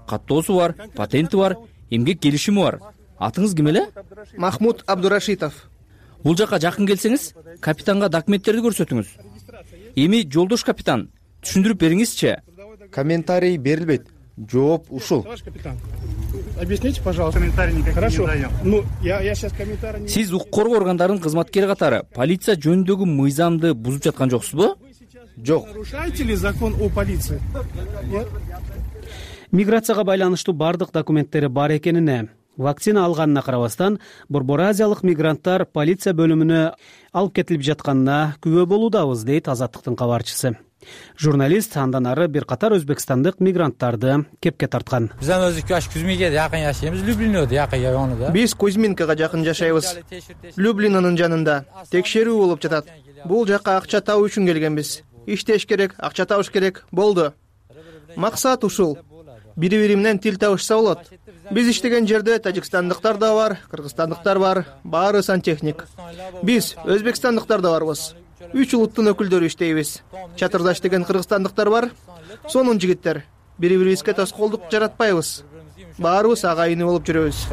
Каттоосу бар, патенти бар, эмгек келишими бар. Атыңыз ким эле? Махмуд Абдурашитов. Бул жака жакын келсеңиз, капитанга документтерди көрсөтүңүз. Эми жолдош капитан, түшүндүрүп бериңизчи. Комментарий берилбейт. Жооп ушул. Объясните, пожалуйста. Комментарий никаких не даём. Ну, я я сейчас комментарий. Сиз укук коргоо органдарынын кызматкери катары полиция жөнүндөгү мыйзамды бузуп жаткан жоксузбу? Жок. Нарушаете ли закон о полиции? Нет. Миграцияга байланыштуу бардык документтери бар экенине, вакцина алганына карабастан, Борбор Азиялык мигранттар полиция бөлүмүнө алып кетилип жатканына күбө болуудабыз, дейт Азаттыктын кабарчысы. Журналист андан ары бир катар өзбекстандык мигранттарды кепке тарткан. Биз өзү Кузьминкеге жакын жашайбыз, Люблинөдө жакын жагында. Биз Кузьминкага жакын жашайбыз. Люблинонун жанында текшерүү болуп жатат. Бул жака акча табуу үчүн келгенбиз. Иштеш керек, акча табыш керек, болду. Максат ушул. бири бири менен тил табышса болот. Биз иштеген жерде тажикстандыктар да бар, кыргызстандыктар бар, баары сантехник. Биз өзбекстандыктар да барбыз. Үч улуттун өкүлдөрү иштейбиз. Чатырда иштеген кыргызстандыктар бар, сонун жигиттер. Бири бирибизге тоскоолдук жаратпайбыз. Баарыбыз агайыны болуп жүрөбүз.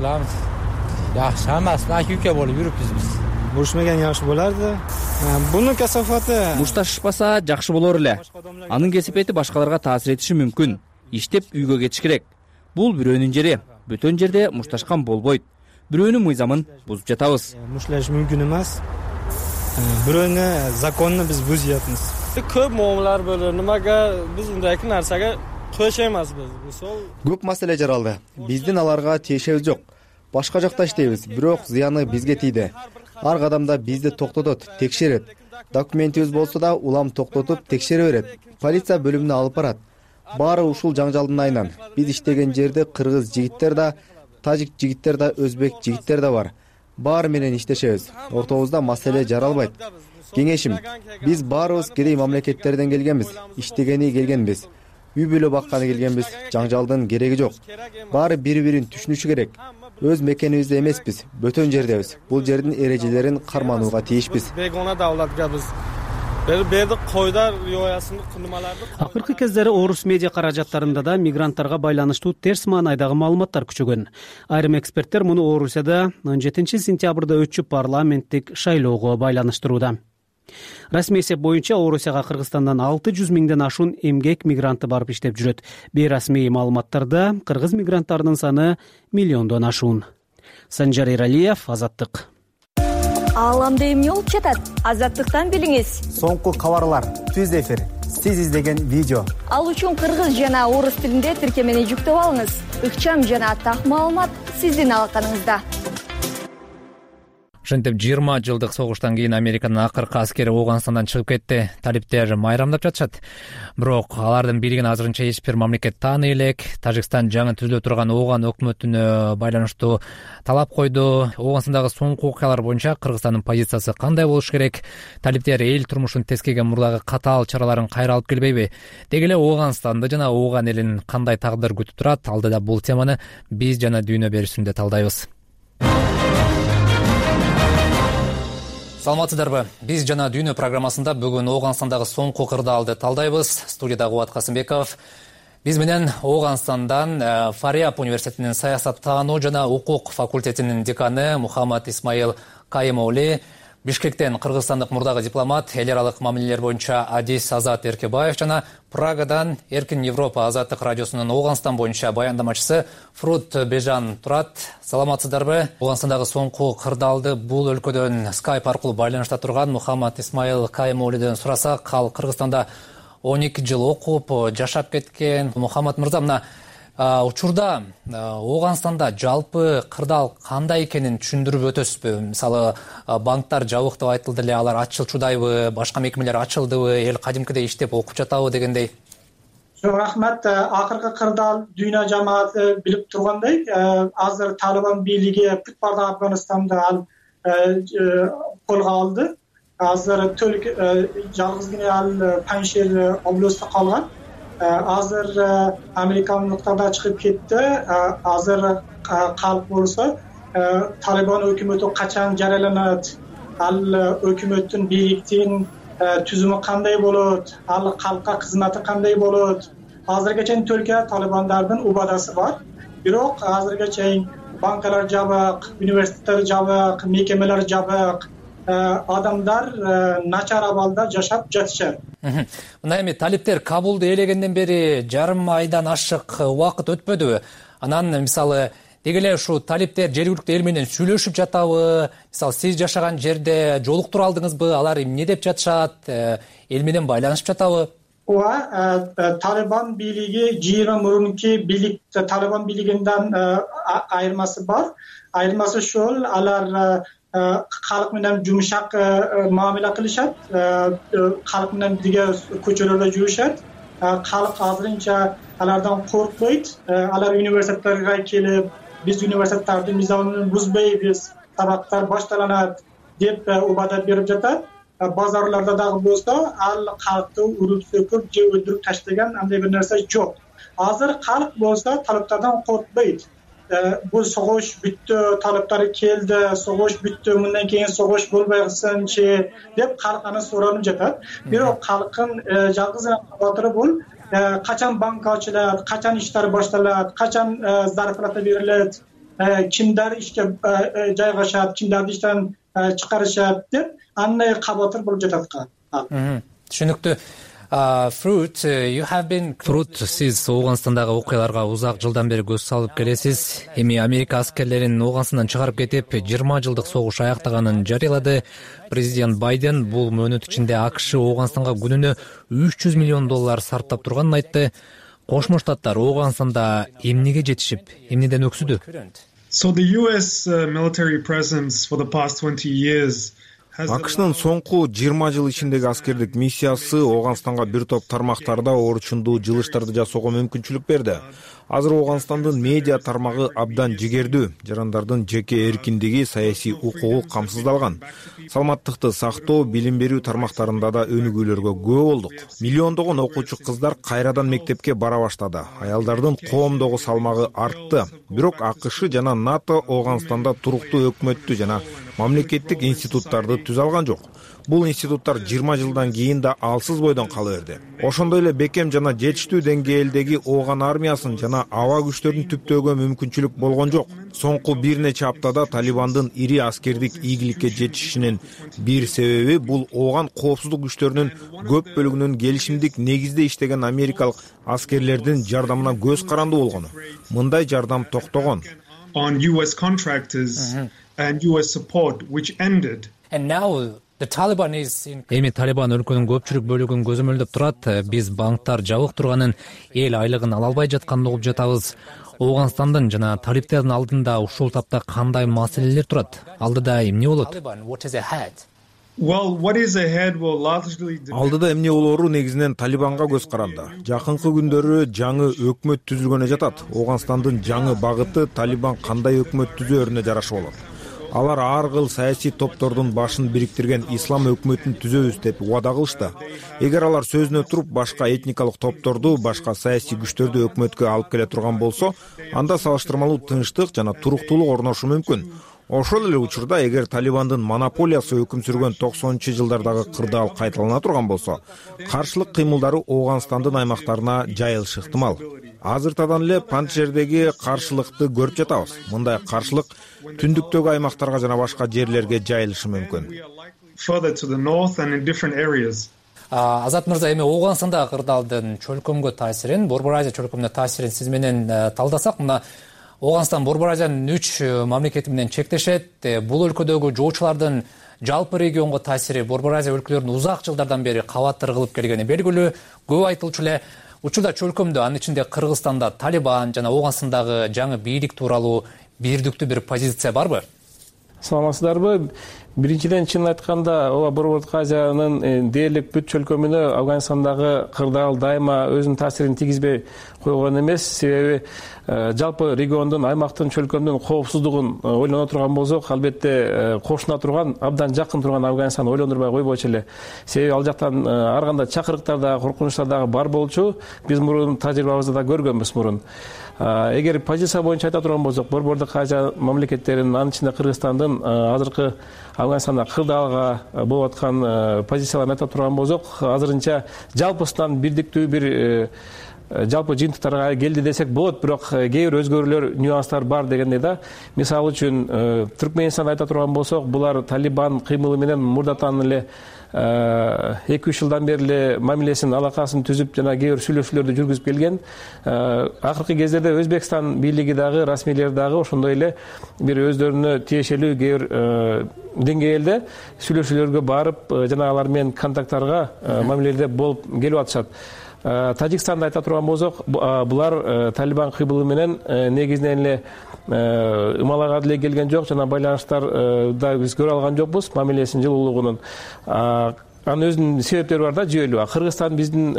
Жакшы, хаммасы aka-uka болуп жүрүпбүз биз. Урушмаган жакшы боларды. Бунун касафаты мушташышпаса жакшы болор эле. Анын кесепети башкаларга таасир этиши мүмкүн. Иштеп үйгө кетиш керек. Бул бирөөнүн жери. Бөтөн жерде мушташкан болбойт. Бирөөнүн мыйзамын бузуп жатабыз. Мушташ мүмкүн эмес. Бирөөнүн законун биз бузуп жатабыз. Көп муамалар болот. Немага биз мындайкы нарсага көчөймөзбүз. Көп маселе жаралды. Биздин аларга тиешебиз жок. Башка жакта иштейбиз, бирок зыяны бизге тийди. Ар кадамда бизди токтотот, текшерет. Документибиз болсо да улам токтотуп текшере берет. Полиция бөлүмүнө алып барат. Баары ушул жаңжалдын айынан. Биз иштеген жерде кыргыз жигиттер да, тажик жигиттер да, өзбек жигиттер да бар. Баары менен иштешебиз. Ортобузда маселе жаралбайт. Кеңешим, биз баарыбыз кедей мамлекеттерден келгенбиз, иштегени келгенбиз. Үй бүлө бакканы келгенбиз, жаңжалдын кереги жок. Баары бири-бирин түшүнүшү керек. Өз мекенибизде эмеспиз, бөтөн жердебиз. Бул жердин эрежелерин карманууга тийишпиз. Бегона давлатгабыз. Берди койдар рioясын кылмаларды. Акыркы кездери орус медиа каражаттарында да мигранттарга байланыштуу терс маанайдагы маалыматтар күчөгөн. Айрым эксперттер муну Орусияда он жетинчи сентябрда өтчү парламенттик шайлоого байланыштырууда. Расмий эсеп боюнча Орусияга Кыргызстандан алты жүз миңден ашуун эмгек мигранты барып иштеп жүрөт. Бейрасмий маалыматтарда кыргыз мигранттарынын саны миллиондон ашуун. Санжар Эралиев, Азаттык. Ааламда эмне болуп жатат? Азаттыктан билиңиз. Соңку кабарлар, түз эфир, сиз издеген видео. Ал үчүн кыргыз жана орус тилинде тиркемени жүктөп алыңыз. Ыкчам жана так маалымат сиздин алаканыңызда. Ошентип жыйырма жылдык согуштан кийин Американын акыркы аскери Ооганстандан чыгып кетти. Талиптер майрамдап жатышат. Бирок алардын бийлигин азырынча эч бир мамлекет тааный элек. Тажикстан жаңы түзүлө турган Ооган өкмөтүнө байланыштуу талап койду. Ооганстандагы соңку окуялар боюнча Кыргызстандын позициясы кандай болуш керек? Талиптер эл турмушун тескеген мурдагы катаал чараларын кайра алып келбейби? Деги эле Ооганстанды жана Ооган элин кандай тагдыр күтүп турат? Алдыда бул теманы биз жана дүйнө берүүсүндө талдайбыз. Саламатсыздарбы? Биз жана дүйнө программасында бүгүн Ооганстандагы соңку кырдаалды талдайбыз. Студияда Кубат Касымбеков. Биз менен Ооганстандан Фариаб университетинин саясаттануу жана укук факультетинин деканы Мухаммад Исмаил Кайымоули, Бишкектен кыргызстандык мурдагы дипломат, эл аралык мамилелер боюнча Адис Азат Эркебаев жана Прагадан Эркин Европа Азаттык радиосунун Ооганстан боюнча баяндамачысы Фрут Бежан турат. Саламатсыздарбы? Ооганстандагы соңку кырдаалды бул өлкөдөн скайп аркылуу байланышта турган Мухаммад Исмаил Кайымоулиден сурасак, ал Кыргызстанда он эки жыл окуп, жашап кеткен. Мухаммад мырза, мына учурда Ооганстанда жалпы кырдаал кандай экенин түшүндүрүп өтөсүзбү? Мисалы, банктар жабык деп айтылды эле, алар ачылчудайбы, башка мекемелер ачылдыбы, эл кадимкидей иштеп окуп жатабы дегендей. Рахмат. Акыркы кырдаал дүйнө жамааты билип тургандай, азыр Талибан бийлиги бүт бардык Афганистанды ал колго алды. Азыр жалгызгина ал Паншир областында калган. Азыр американдыктар да чыгып кетти. Азыр калк болсо Талибан өкмөтү качан жарыяланат, ал өкмөттүн бийликтин түзүмү кандай болот, ал калкка кызматы кандай болот? Азыркыга чейин Түркия Талибандардын убадасы бар. Бирок азыркыга чейин банкалар жабык, университеттер жабык, мекемелер жабык. Адамдар начар абалда жашап жатышат. Мына эми талиптер Кабулду ээлегенден бери жарым айдан ашык убакыт өтпөдүбү? Анан мисалы деги эле ушу талиптер жергиликтүү эл менен сүйлөшүп жатабы? Мисалы сиз жашаган жерде жолуктура алдыңызбы? Алар эмне деп жатышат? Эл менен байланышып жатабы? Ооба, Талибан бийлиги жыйырма мурунки бийлик Талибан бийлигинден айырмасы бар. Айырмасы ушул, алар калк менен жумшак мамиле кылышат, калк менен бирге көчөлөрдө жүрүшөт. Калк азырынча алардан коркпойт. Алар университеттерге келип, биз университеттердин мыйзамын бузбайбыз, сабактар башталанат деп убада берип жатат. Базарларда дагы болсо, ал калкты уруп сөкүп же өлтүрүп таштаган андай бир нерсе жок. азыр калк болсо талаптардан коркпойт. Бул согуш бүттү, талаптары келди, согуш бүттү, мындан кийин согуш болбой калсынчы деп калк аны суранып жатат. Бирок калктын жалгыз эле кабатыры бул качан банк ачылат, качан иштер башталат, качан зарплата берилет, кимдер ишке жайгашат, кимдерди иштен чыгарышат деп андай кабатыр болуп жатат. Түшүнүктүү. Fruit, Fruit, сиз Ооганстандагы окуяларга узак жылдан бери көз салып келесиз. Эми Америка аскерлерин Ооганстандан чыгарып кетип, жыйырма жылдык согуш аяктаганын жарыялады. Президент Байден бул мөөнөт ичинде АКШ Ооганстанга күнүнө үч жүз миллион доллар сарптап турганын айтты. Кошмо Штаттар Ооганстанда эмнеге жетишип, эмнеден өксүдү? So the U S military presence for the past twenty years АКШнын соңку жыйырма жыл ичиндеги аскердик миссиясы Ооганстанга бир топ тармактарда орчундуу жылыштарды жасоого мүмкүнчүлүк берди. Азыр Ооганстандын медиа тармагы абдан жигердүү, жарандардын жеке эркиндиги, саясий укугу камсыздалган. Саламаттыкты сактоо, билим берүү тармактарында да өнүгүүлөргө күбө болдук. Миллиондогон окуучу кыздар кайрадан мектепке бара баштады. Аялдардын коомдогу салмагы артты. Бирок АКШ жана НАТО Ооганстанда туруктуу өкмөттү жана мамлекеттик институттарды түзө алган жок. Бул институттар жыйырма жылдан кийин да алсыз бойдон кала берди. Ошондой эле бекем жана жетиштүү деңгээлдеги Ооган армиясын жана аба күчтөрүн түптөөгө мүмкүнчүлүк болгон жок. Соңку бир нече аптада Талибандын ири аскердик ийгиликке жетишинин бир себеби бул Ооган коопсуздук күчтөрүнүн көп бөлүгүнүн келишимдик негизде иштеген америкалык аскерлердин жардамына көз карандуу болгону. Мындай жардам токтогон. On U S contractors and U S support which ended. And now Эми Талибан өлкөнүн көпчүлүк бөлүгүн көзөмөлдөп турат. Биз банктар жабык турганын, эл айлыгын ала албай жатканын угуп жатабыз. Ооганстандын жана талиптердин алдында ушул тапта кандай маселелер турат? Алдыда эмне болот? Алдыда эмне болору негизинен Талибанга көз каранды. Жакынкы күндөрү жаңы өкмөт түзүлгөнү жатат. Ооганстандын жаңы багыты Талибан кандай өкмөт түзөөрүнө жараша болот. Алар ар кыл саясий топтордун башын бириктирген ислам өкмөтүн түзөбүз деп убада кылышты. Эгер алар сөзүнө туруп башка этникалык топторду, башка саясий күчтөрдү өкмөткө алып келе турган болсо, анда салыштырмалуу тынчтык жана туруктуулук орношу мүмкүн. Ошол эле учурда эгер Талибандын монополиясы өкүм сүргөн токсонунчу жылдардагы кырдаал кайталана турган болсо, каршылык кыймылдары Ооганстандын аймактарына жайылышы ыктымал. Азыртадан эле Панджшердеги каршылыкты көрүп жатабыз. Мындай каршылык түндүктөгү аймактарга жана башка жерлерге жайылышы мүмкүн. Азат мырза, эми Ооганстандагы кырдаалдын чөлкөмгө таасирин, Борбор Азия чөлкөмүнө таасирин сиз менен талдасак, мына Ооганстан Борбор Азиянын үч мамлекети менен чектешет. Бул өлкөдөгү жоочулардын жалпы регионго таасири Борбор Азия өлкөлөрүнүн узак жылдардан бери кабаттар кылып келгени белгилүү. Көп айтылчу эле учурда чөлкөмдө, анын ичинде Кыргызстанда Талибан жана Ооганстандагы жаңы бийлик тууралуу бирдиктүү бир позиция барбы? Саламатсыздарбы? Биринчиден, чын айтканда, ооба Борбордук Азиянын дээрлик бүт чөлкөмүнө Афганистандагы кырдаал дайыма өзүнүн таасирин тийгизбей койгон эмес. Себеби жалпы региондун, аймактын, чөлкөмдүн коопсуздугун ойлоно турган болсок, албетте кошуна турган, абдан жакын турган Афганистанды ойлондурбай койбойчу эле. Себеби ал жактан ар кандай чакырыктар дагы, коркунучтар дагы бар болчу. Биз мурун тажрыйбабызда да көргөнбүз мурун. Эгер позиция боюнча айта турган болсок, Борбордук Азия мамлекеттеринин, анын ичинде Кыргызстандын азыркы Афганистанда кырдаалга болуп аткан позицияларын айта турган болсок, азырынча жалпысынан бирдиктүү бир жалпы жыйынтыктарга келди десек болот, бирок кээ бир өзгөрүүлөр, нюанстар бар дегендей да. Мисалы үчүн Түркменистанды айта турган болсок, булар Талибан кыймылы менен мурдатан эле эки үч жылдан бери эле мамилесин, алакасын түзүп жана кээ бир сүйлөшүүлөрдү жүргүзүп келген. Акыркы кездерде Өзбекстан бийлиги дагы, расмийлер дагы ошондой эле бир өздөрүнө тиешелүү кээ бир деңгээлде сүйлөшүүлөргө барып, жана алар менен контакттарга мамиледе болуп келип атышат. Тажикстанды айта турган болсок, булар Талибан кыймылы менен негизинен эле ымалага деле келген жок, жана байланыштар да биз көрө алган жокпуз мамилесинин жылуулугунун. анын өзүнүн себептери бар да, жүйөлүү. Кыргызстан биздин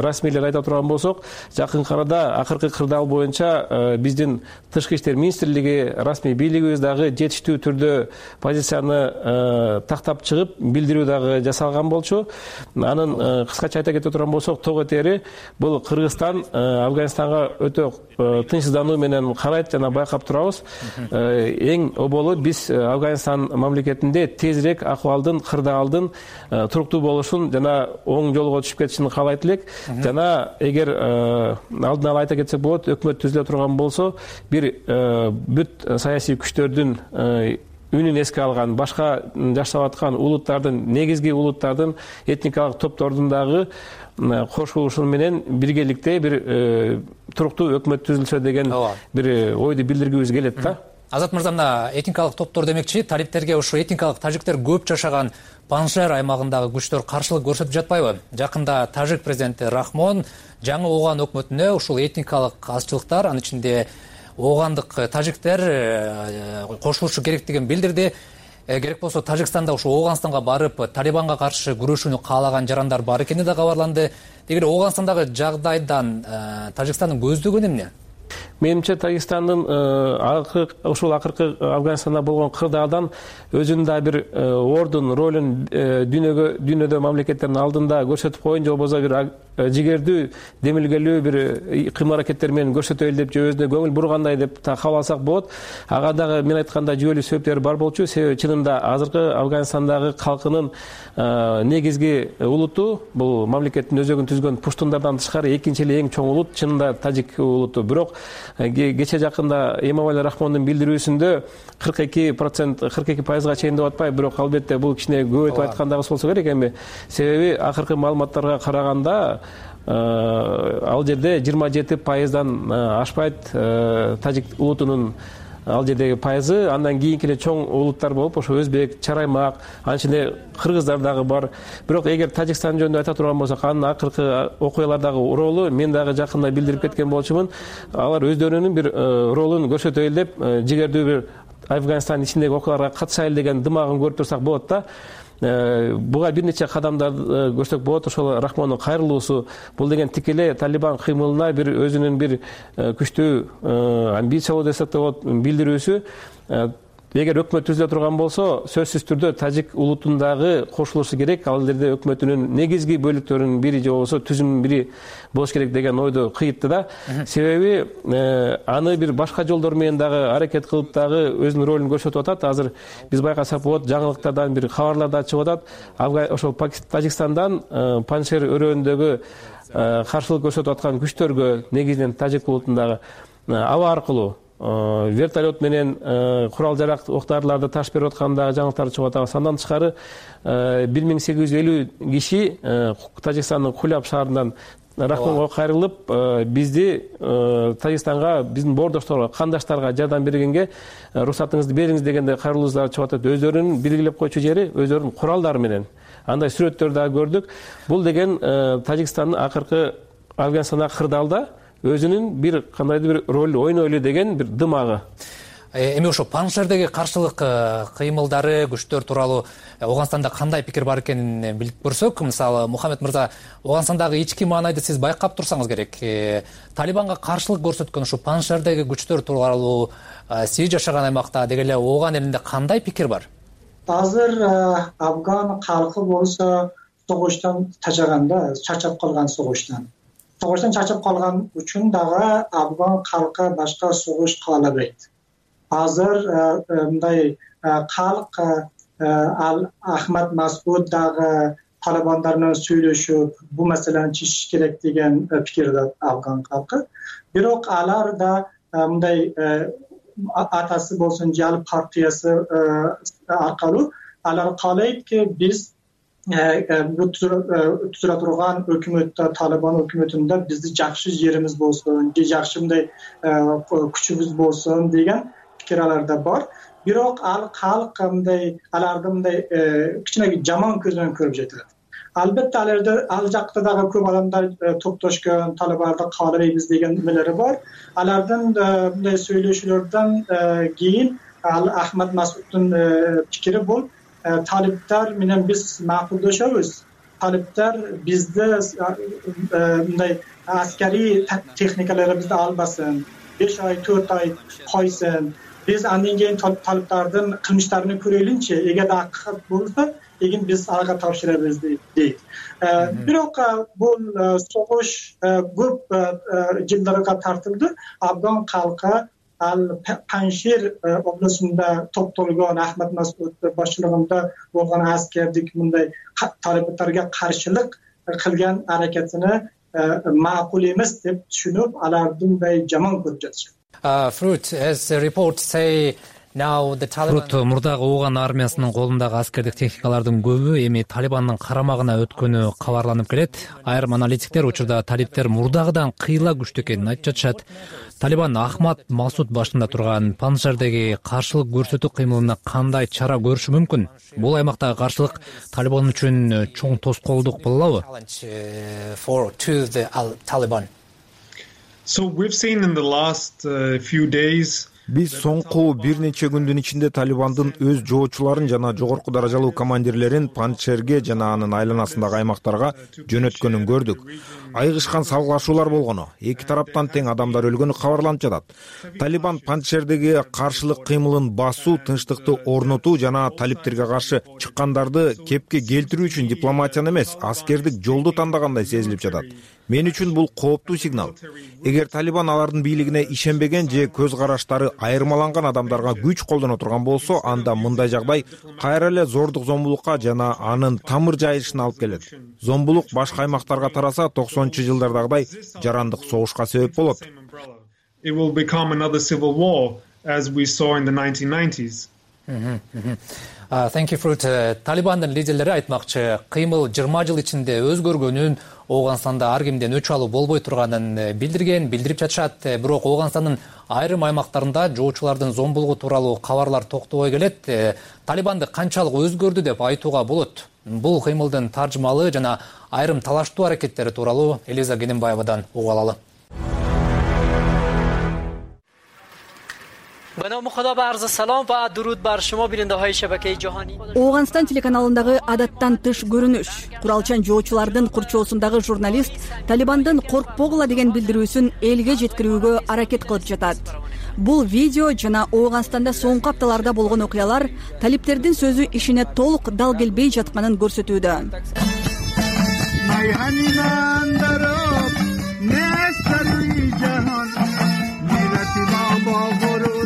расмийлер айта турган болсок, жакынкы арада акыркы кырдаал боюнча биздин тышкы иштер министрлиги, расмий бийлигибиз дагы жетиштүү түрдө позицияны тактап чыгып, билдирүү дагы жасалган болчу. Анын кыскача айта кете турган болсок, того тери бул Кыргызстан Афганистанга өтө тынчсыздануу менен карайт жана байкап турабыз. Эң оболу биз Афганистан мамлекетинде тезирээк акыбалдын, кырдаалдын туруктуу болушун жана оң жолго түшүп кетишин каалайт элек. Жана эгер алдын ала айта кетсек болот, өкмөт түзүлө турган болсо, бир бүт саясий күчтөрдүн үнүн эске алган, башка жашап аткан улуттардын, негизги улуттардын, этникалык топтордун дагы кошулушу менен биргеликте бир туруктуу өкмөт түзүлсө деген бир ойду билдиргибиз келет да. Азат мырза, мына этникалык топтор демекчи, талиптерге ушу этникалык тажиктер көп жашаган Панжшер аймагындагы күчтөр каршылык көрсөтүп жатпайбы? Жакында тажик президенти Рахмон жаңы Ооган өкмөтүнө ушул этникалык азчылыктар, анын ичинде оогандык тажиктер кошулушу керектигин билдирди. Керек болсо Тажикстанда ушу Ооганстанга барып Талибанга каршы күрөшүүнү каалаган жарандар бар экени да кабарланды. Дегеле Ооганстандагы жагдайдан Тажикстандын көздөгөнү эмне? Менимче Тажикстандын ушул акыркы Афганистанда болгон кырдаалдан өзүнүн да бир ордун, ролун дүйнөгө дүйнөдө мамлекеттердин алдында көрсөтүп коеюн, же болбосо бир жигердүү, демилгелүү бир кыймыл-аракеттер менен көрсөтөлү деп, же өзүнө көңүл бургандай деп кабыл алсак болот. Ага дагы мен айткандай жүйөлүү себептери бар болчу. Себеби чынында азыркы Афганистандагы калкынын негизги улуту, бул мамлекеттин өзөгүн түзгөн пуштундардан тышкары экинчи эле эң чоң улут чынында тажик улуту. Бирок кече жакында Эмомали Рахмондун билдирүүсүндө кырк эки процент, кырк эки пайызга чейин деп атпайбы, бирок албетте бул кичине көбөйтүп айткан дагы болсо керек эми. Себеби акыркы маалыматтарга караганда ал жерде жыйырма жети пайыздан ашпайт тажик улутунун ал жердеги пайызы. Андан кийинки эле чоң улуттар болуп, ошо өзбек, чараймак, анын ичинде кыргыздар дагы бар. Бирок эгер Тажикстан жөнүндө айта турган болсок, анын акыркы окуялардагы ролу мен дагы жакында билдирип кеткен болчумун. Алар өздөрүнүн бир ролун көрсөтөлү деп, жигердүү бир Афганистандын ичиндеги окуяларга катышайлы деген дымагын көрүп турсак болот да. Буга бир нече кадамдарды көрсөк болот. Ошол Рахмондун кайрылуусу, бул деген тикелей Талибан кыймылына бир өзүнүн бир күчтүү амбиция болуп десек болот, билдирүүсү. Эгер өкмөт түзүлө турган болсо, сөзсүз түрдө тажик улутундагы кошулушу керек. Ал жерде өкмөтүнүн негизги бөлүктөрүнүн бири же болбосо түзүмүнүн бири болуш керек деген ойду кыйытты да. Себеби аны бир башка жолдор менен дагы аракет кылып дагы өзүнүн ролун көрсөтүп атат. Азыр биз байкасак болот, жаңылыктардан бир кабарлар да чыгып атат. Ошол Тажикстандан Панжшер өрөөнүндөгү каршылык көрсөтүп аткан күчтөргө, негизинен тажик улутундагы, аба аркылуу вертолет менен курал жарак, оқ-дарыларды таш берип аткандагы жаңылыктар чыгып атат. Андан тышкары бир миң сегиз жүз элүү киши Тажикстандын Куляб шаарынан Рахмонго кайрылып, бизди Тажикстанга, биздин боордошторго, кандаштарга жардам бергенге уруксатыңызды бериңиз дегенде кайрылуусудар чыгып атат. Өздөрүнүн белгилеп койчу жери өздөрүнүн куралдары менен. Андай сүрөттөрдү дагы көрдүк. Бул деген Тажикстандын акыркы Афганистандагы кырдаалда өзүнүн бир кандайдыр бир роль ойнойлу деген бир дымагы. Эми ошо Панжшердеги каршылык кыймылдары, күчтөр тууралуу Ооганстанда кандай пикир бар экенин билип көрсөк, мисалы Мухаммед мырза, Ооганстандагы ички маанайды сиз байкап турсаңыз керек. Талибанга каршылык көрсөткөн ушу Панжшердеги күчтөр тууралуу сиз жашаган аймакта деги эле Ооган элинде кандай пикир бар? Азыр Афган калкы болсо согуштан тажаганда, чарчап калган согуштан. Согуштан чарчап калган үчүн дагы Афган калкы башка согуш каалабайт. Азыр мындай калк ал Ахмад Масуд дагы Талибандар менен сүйлөшүп, бул маселени чечиш керек деген пикирде Афган калкы. Бирок алар да мындай атасы болсун, Жал партиясы аркылуу алар каалайт, биз түзүлө турган өкмөттө, Талибан өкмөтүндө бизди жакшы жерибиз болсун, же жакшы мындай күчүбүз болсун деген пикир аларда бар. Бирок ал калк мындай аларды мындай кичине жаман көз менен көрүп жатат. Албетте аларда ал жакта дагы көп адамдар топтошкон, Талибанды каалабайбыз деген эмелери бар. Алардын мындай сүйлөшүүлөрдөн кийин ал Ахмад Масуддун пикири бул талиптер менен биз макулдашабыз. Талиптер бизди мындай аскерий техникаларыбызды албасын, беш ай төрт ай койсын. Биз андан кийин талиптардын кылмыштарын көрөлүнчү, эгер акы болсо эгин биз ага тапшырабыз дейт. Бирок бул согуш көп жылдарга тартылды. Абдан калкы ал Паншир областында топтолгон Ахмат Масуд башчылыгында болгон аскердик мындай талиптарга каршылык кылган аракетини макул эмес деп түшүнүп, алардын мындай жаман көрүп жатышат. Fruit, as the reports say, now the Taliban. Fruit, мурдагы Ооган армиясынын колундагы аскердик техникалардын көбү эми Талибандын карамагына өткөнү кабарланып келет. Айрым аналитиктер учурда талиптер мурдагыдан кыйла күчтүү экенин айтып жатышат. Талибан Ахмат Масуд башында турган Панширдеги каршылык көрсөтүү кыймылына кандай чара көрүшү мүмкүн? Бул аймактагы каршылык Талибан үчүн чоң тоскоолдук болобу? So we've seen in the last uh, few days биз соңку бир нече күндүн ичинде Талибандын өз жоочуларын жана жогорку даражалуу командирлерин Паншерге жана анын айланасындагы аймактарга жөнөткөнүн көрдүк. Айгышкан салгылашуулар болгону, эки тараптан тең адамдар өлгөнү кабарланып жатат. Талибан Паншердеги каршылык кыймылын басуу, тынчтыкты орнотуу жана талиптерге каршы чыккандарды кепке келтирүү үчүн дипломатияны эмес, аскердик жолду тандагандай сезилип жатат. Мен үчүн бул кооптуу сигнал. Эгер Талибан алардын бийлигине ишенбеген же көз караштары айырмаланган адамдарга күч колдоно турган болсо, анда мындай жагдай кайра эле зордук зомбулукка жана анын тамыр жайылышына алып келет. Зомбулук башка аймактарга тараса, токсонунчу жылдардагыдай жарандык согушка себеп болот. It will become another civil war as we saw in the nineteen nineties. Thank you, Fruit. Талибандын лидерлери айтмакчы, кыймыл жыйырма жыл ичинде өзгөргөнүн, Ооганданда ар кимден өч алуу болбой турганын билдирген, билдирип жатышат. Бирок Оогандандын айрым аймактарында жоочулардын зомбулугу тууралуу кабарлар токтобой келет. Талибанды канчалык өзгөрдү деп айтууга болот. Бул кыймылдын таржымалы жана айрым талаштуу аракеттери тууралуу Элиза Гененбаевадан угуп алалы. Оогандстан телеканалындагы адаттан тыш көрүнүш. Куралчан жоочулардын курчоосундагы журналист Талибандын коркпогула деген билдирүүсүн элге жеткирүүгө аракет кылып жатат. Бул видео жана Оогандстанда соңку апталарда болгон окуялар талиптердин сөзү ишине толук дал келбей жатканын көрсөтүүдө.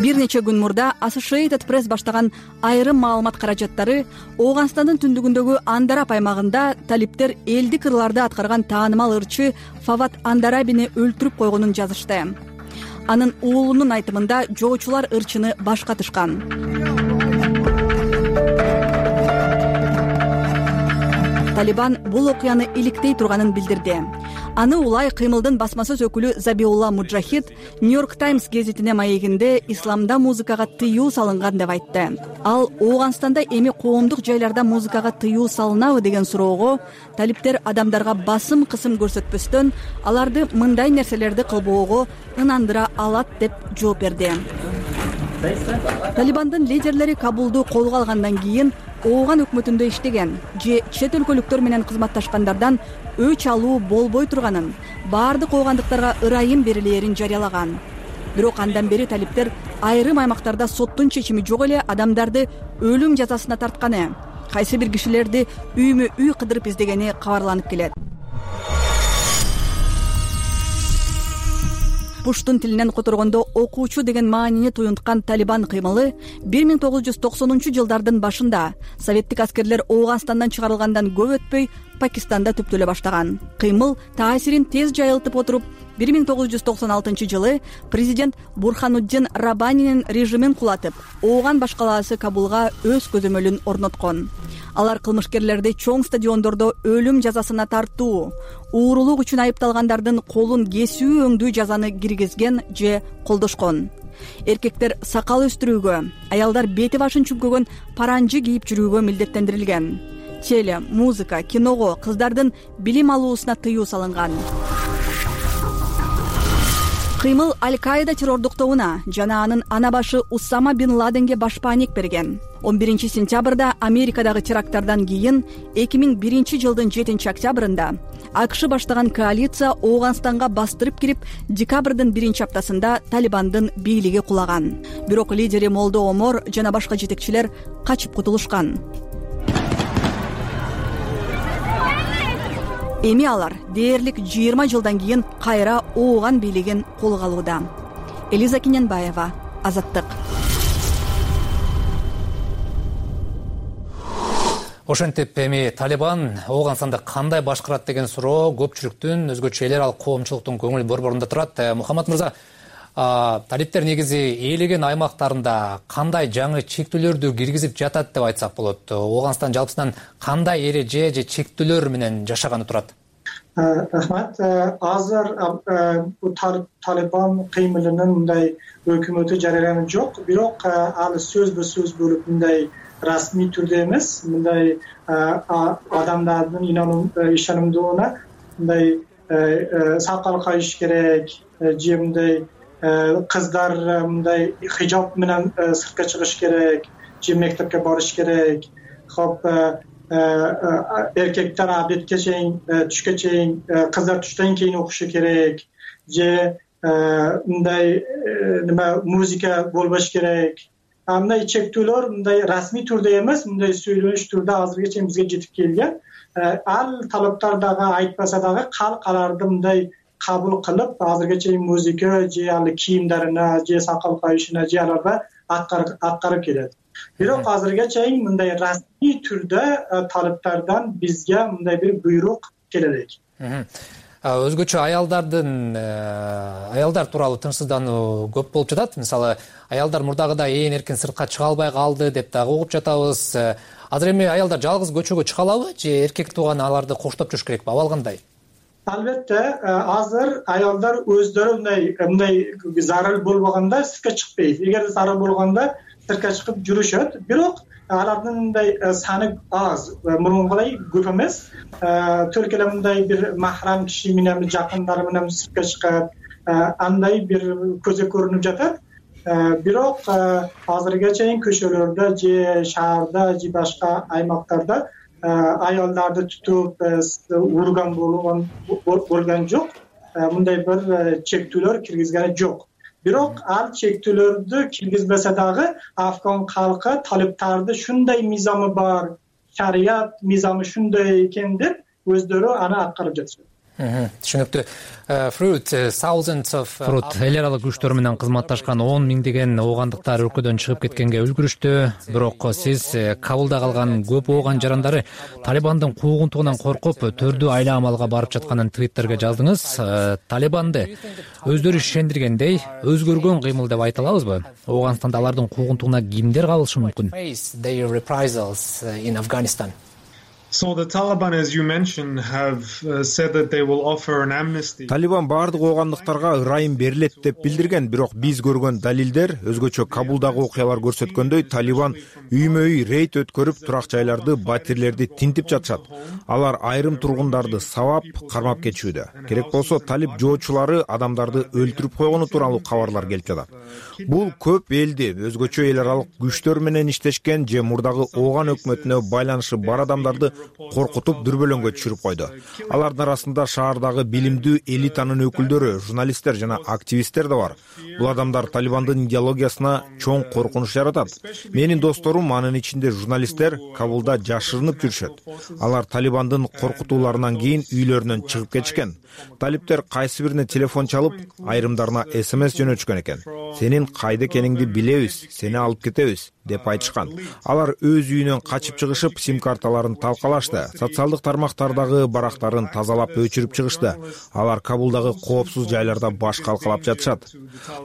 Бир нече күн мурда Associated Press баштаган айрым маалымат каражаттары Оогандстандын түндүгүндөгү Андараб аймагында талиптер элди кырларда аткарган таанымал ырчы Фават Андарабини өлтүрүп койгонун жазышты. Анын уулунун айтымында жоочулар ырчыны башкатышкан. Талибан бул окуяны иликтей турганын билдирди. Аны улай кыймылдын басма сөз өкүлү Забиулла Муджахид Нью-Йорк Таймс гезитине маегинде исламда музыкага тыюу салынган деп айтты. Ал Оогандстанда эми коомдук жайларда музыкага тыюу салынабы деген суроого талиптер адамдарга басым кысым көрсөтпөстөн аларды мындай нерселерди кылбоого ынандыра алат деп жооп берди. Талибандын лидерлери Кабулду колго алгандан кийин Ооган өкмөтүндө иштеген же чет өлкөлүктөр менен кызматташкандардан өч алуу болбой турганын, баардык оогандыктарга ырайым берилээрин жарыялаган. Бирок андан бери талиптер айрым аймактарда соттун чечими жок эле адамдарды өлүм жазасына тартканы, кайсы бир кишилерди үймө үй кыдырып издегени кабарланып келет. Пуштун тилинен которгондо окуучу деген маанини туюнткан Талибан кыймылы бир миң тогуз жүз токсонунчу жылдардын башында советтик аскерлер Оогандстандан чыгарылгандан көп өтпөй Пакистанда түптөлө баштаган. Кыймыл таасирин тез жайылтып отуруп, бир миң тогуз жүз токсон алтынчы жылы президент Бурхануддин Раббанинин режимин кулатып, Ооган башкалаасы Кабулга өз көзөмөлүн орноткон. Алар кылмышкерлерди чоң стадиондордо өлүм жазасына тартуу, уурулук үчүн айыпталгандардын колун кесүү өңдүү жазаны киргизген же колдошкон. Эркектер сакал өстүрүүгө, аялдар бети башын чүмкөгөн паранжы кийип жүрүүгө милдеттендирилген. Теле, музыка, киного, кыздардын билим алуусуна тыюу салынган. кыймыл Аль-Каида террордук тобуна жана анын ана башы Усама бин Ладенге башпаанек берген. он биринчи сентябрда Америкадагы теракттардан кийин эки миң биринчи жылдын жетинчи октябрында АКШ баштаган коалиция Ооганстанга бастырып кирип, декабрдын биринчи аптасында Талибандын бийлиги кулаган. Бирок лидери Молдо Омор жана башка жетекчилер качып кутулушкан. Эми алар дээрлик жыйырма жылдан кийин кайра Ооган бийлигин колго алууда. Элиза Киненбаева, Азаттык. Ошентип эми Талибан Ооганстанды кандай башкарат деген суроо көпчүлүктүн, өзгөчө эл аралык коомчулуктун көңүл борборунда турат. Мухаммад мырза, талиптер негизи ээлеген аймактарында кандай жаңы чектөөлөрдү киргизип жатат деп айтсак болот? Ооганстан жалпысынан кандай эреже же чектөөлөр менен жашаганы турат? Рахмат. Азыр Талибан кыймылынын мындай өкмөтү жарыяланган жок, бирок ал сөзбө сөз болуп мындай расмий түрдө эмес, мындай адамдардын ишенимдүүнүнө мындай сакал кайыш керек же мындай кыздар мындай хижаб менен сыртка чыгыш керек же мектепке барыш керек. Хоп, эркектер абедке чейин, түшкө чейин, кыздар түштөн кийин окушу керек же мындай неме музыка болбош керек. Мындай чектөөлөр мындай расмий түрдө эмес, мындай сүйлөнүш түрдө азыркыга чейин бизге жетип келген. Ал талаптар дагы айтпаса дагы калк аларды мындай кабыл кылып, азыркыга чейин музыка же ал кийимдерине же сакал кайышына же аларга аткарып келет. Бирок азыркыга чейин мындай расмий түрдө талаптардан бизге мындай бир буйрук келе элек. Өзгөчө аялдардын аялдар тууралуу тынчсыздануу көп болуп жатат. Мисалы, аялдар мурдагыдай ээн эркин сыртка чыга албай калды деп дагы угуп жатабыз. Азыр эми аялдар жалгыз көчөгө чыга алабы же эркек тууган аларды коштоп жүрүш керекпи? Абал кандай? Албетте, азыр аялдар өздөрү мындай мындай зарыл болбогондо сыртка чыкпайт. Эгер зарыл болгондо сыртка чыгып жүрүшөт. Бирок алардын мындай саны аз, мурункудай көп эмес. Только эле мындай бир махрам киши менен, жакындары менен сыртка чыгат, андай бир көзгө көрүнүп жатат. Бирок азыркыга чейин көчөлөрдө же шаарда же башка аймактарда аялдарды тутуп урган болгон болгон жок. Мындай бир чектөөлөр киргизген жок. Бирок ал чектөөлөрдү киргизбесе дагы Афган калкы талиптарды шундай мизамы бар, шарият мизамы шундай экен деп өздөрү аны аткарып жатышат. Түшүнүктүү. Fruit эл аралык күчтөр менен кызматташкан он миңдеген оогандыктар өлкөдөн чыгып кеткенге үлгүрүштү. Бирок сиз Кабулда калган көп ооган жарандары Талибандын куугунтугунан коркуп төрдүү айла амалга барып жатканын Твиттерге жаздыңыз. Талибанды өздөрү ишендиргендей өзгөргөн кыймыл деп айта алабызбы? Ооганстанда алардын куугунтугуна кимдер кабылышы мүмкүн? So the Taliban, as you mentioned, have uh, said that they will offer an amnesty. Талибан бардык оогандыктарга ырайым берилет деп билдирген, бирок биз көргөн далилдер, өзгөчө Кабулдагы окуялар көрсөткөндөй, Талибан үймө-үй рейд өткөрүп, турак жайларды, батирлерди тинтип жатышат. Алар айрым тургундарды сабап, кармап кетишүүдө. Керек болсо, талип жоочулары адамдарды өлтүрүп койгону тууралуу кабарлар келип жатат. Бул көп элди, өзгөчө эл аралык күчтөр менен иштешкен же мурдагы ооган өкмөтүнө байланышы бар адамдарды коркутуп дүрбөлөңгө түшүрүп койду. Алардын арасында шаардагы билимдүү элитанын өкүлдөрү, журналисттер жана активисттер да бар. Бул адамдар Талибандын идеологиясына чоң коркунуч жаратат. Менин досторум, анын ичинде журналисттер, Кабулда жашырынып жүрүшөт. Алар Талибандын коркутууларынан кийин үйлөрүнөн чыгып кетишкен. Талиптер кайсы бирине телефон чалып, айрымдарына смс жөнөтүшкөн экен. Сенин кайда экениңди билебиз, сени алып кетебиз деп айтышкан. Алар өз үйүнөн качып чыгышып, сим-карталарын талкалашты. Социалдык тармактардагы барактарын тазалап өчүрүп чыгышты. Алар Кабулдагы коопсуз жайларда баш калкалап жатышат.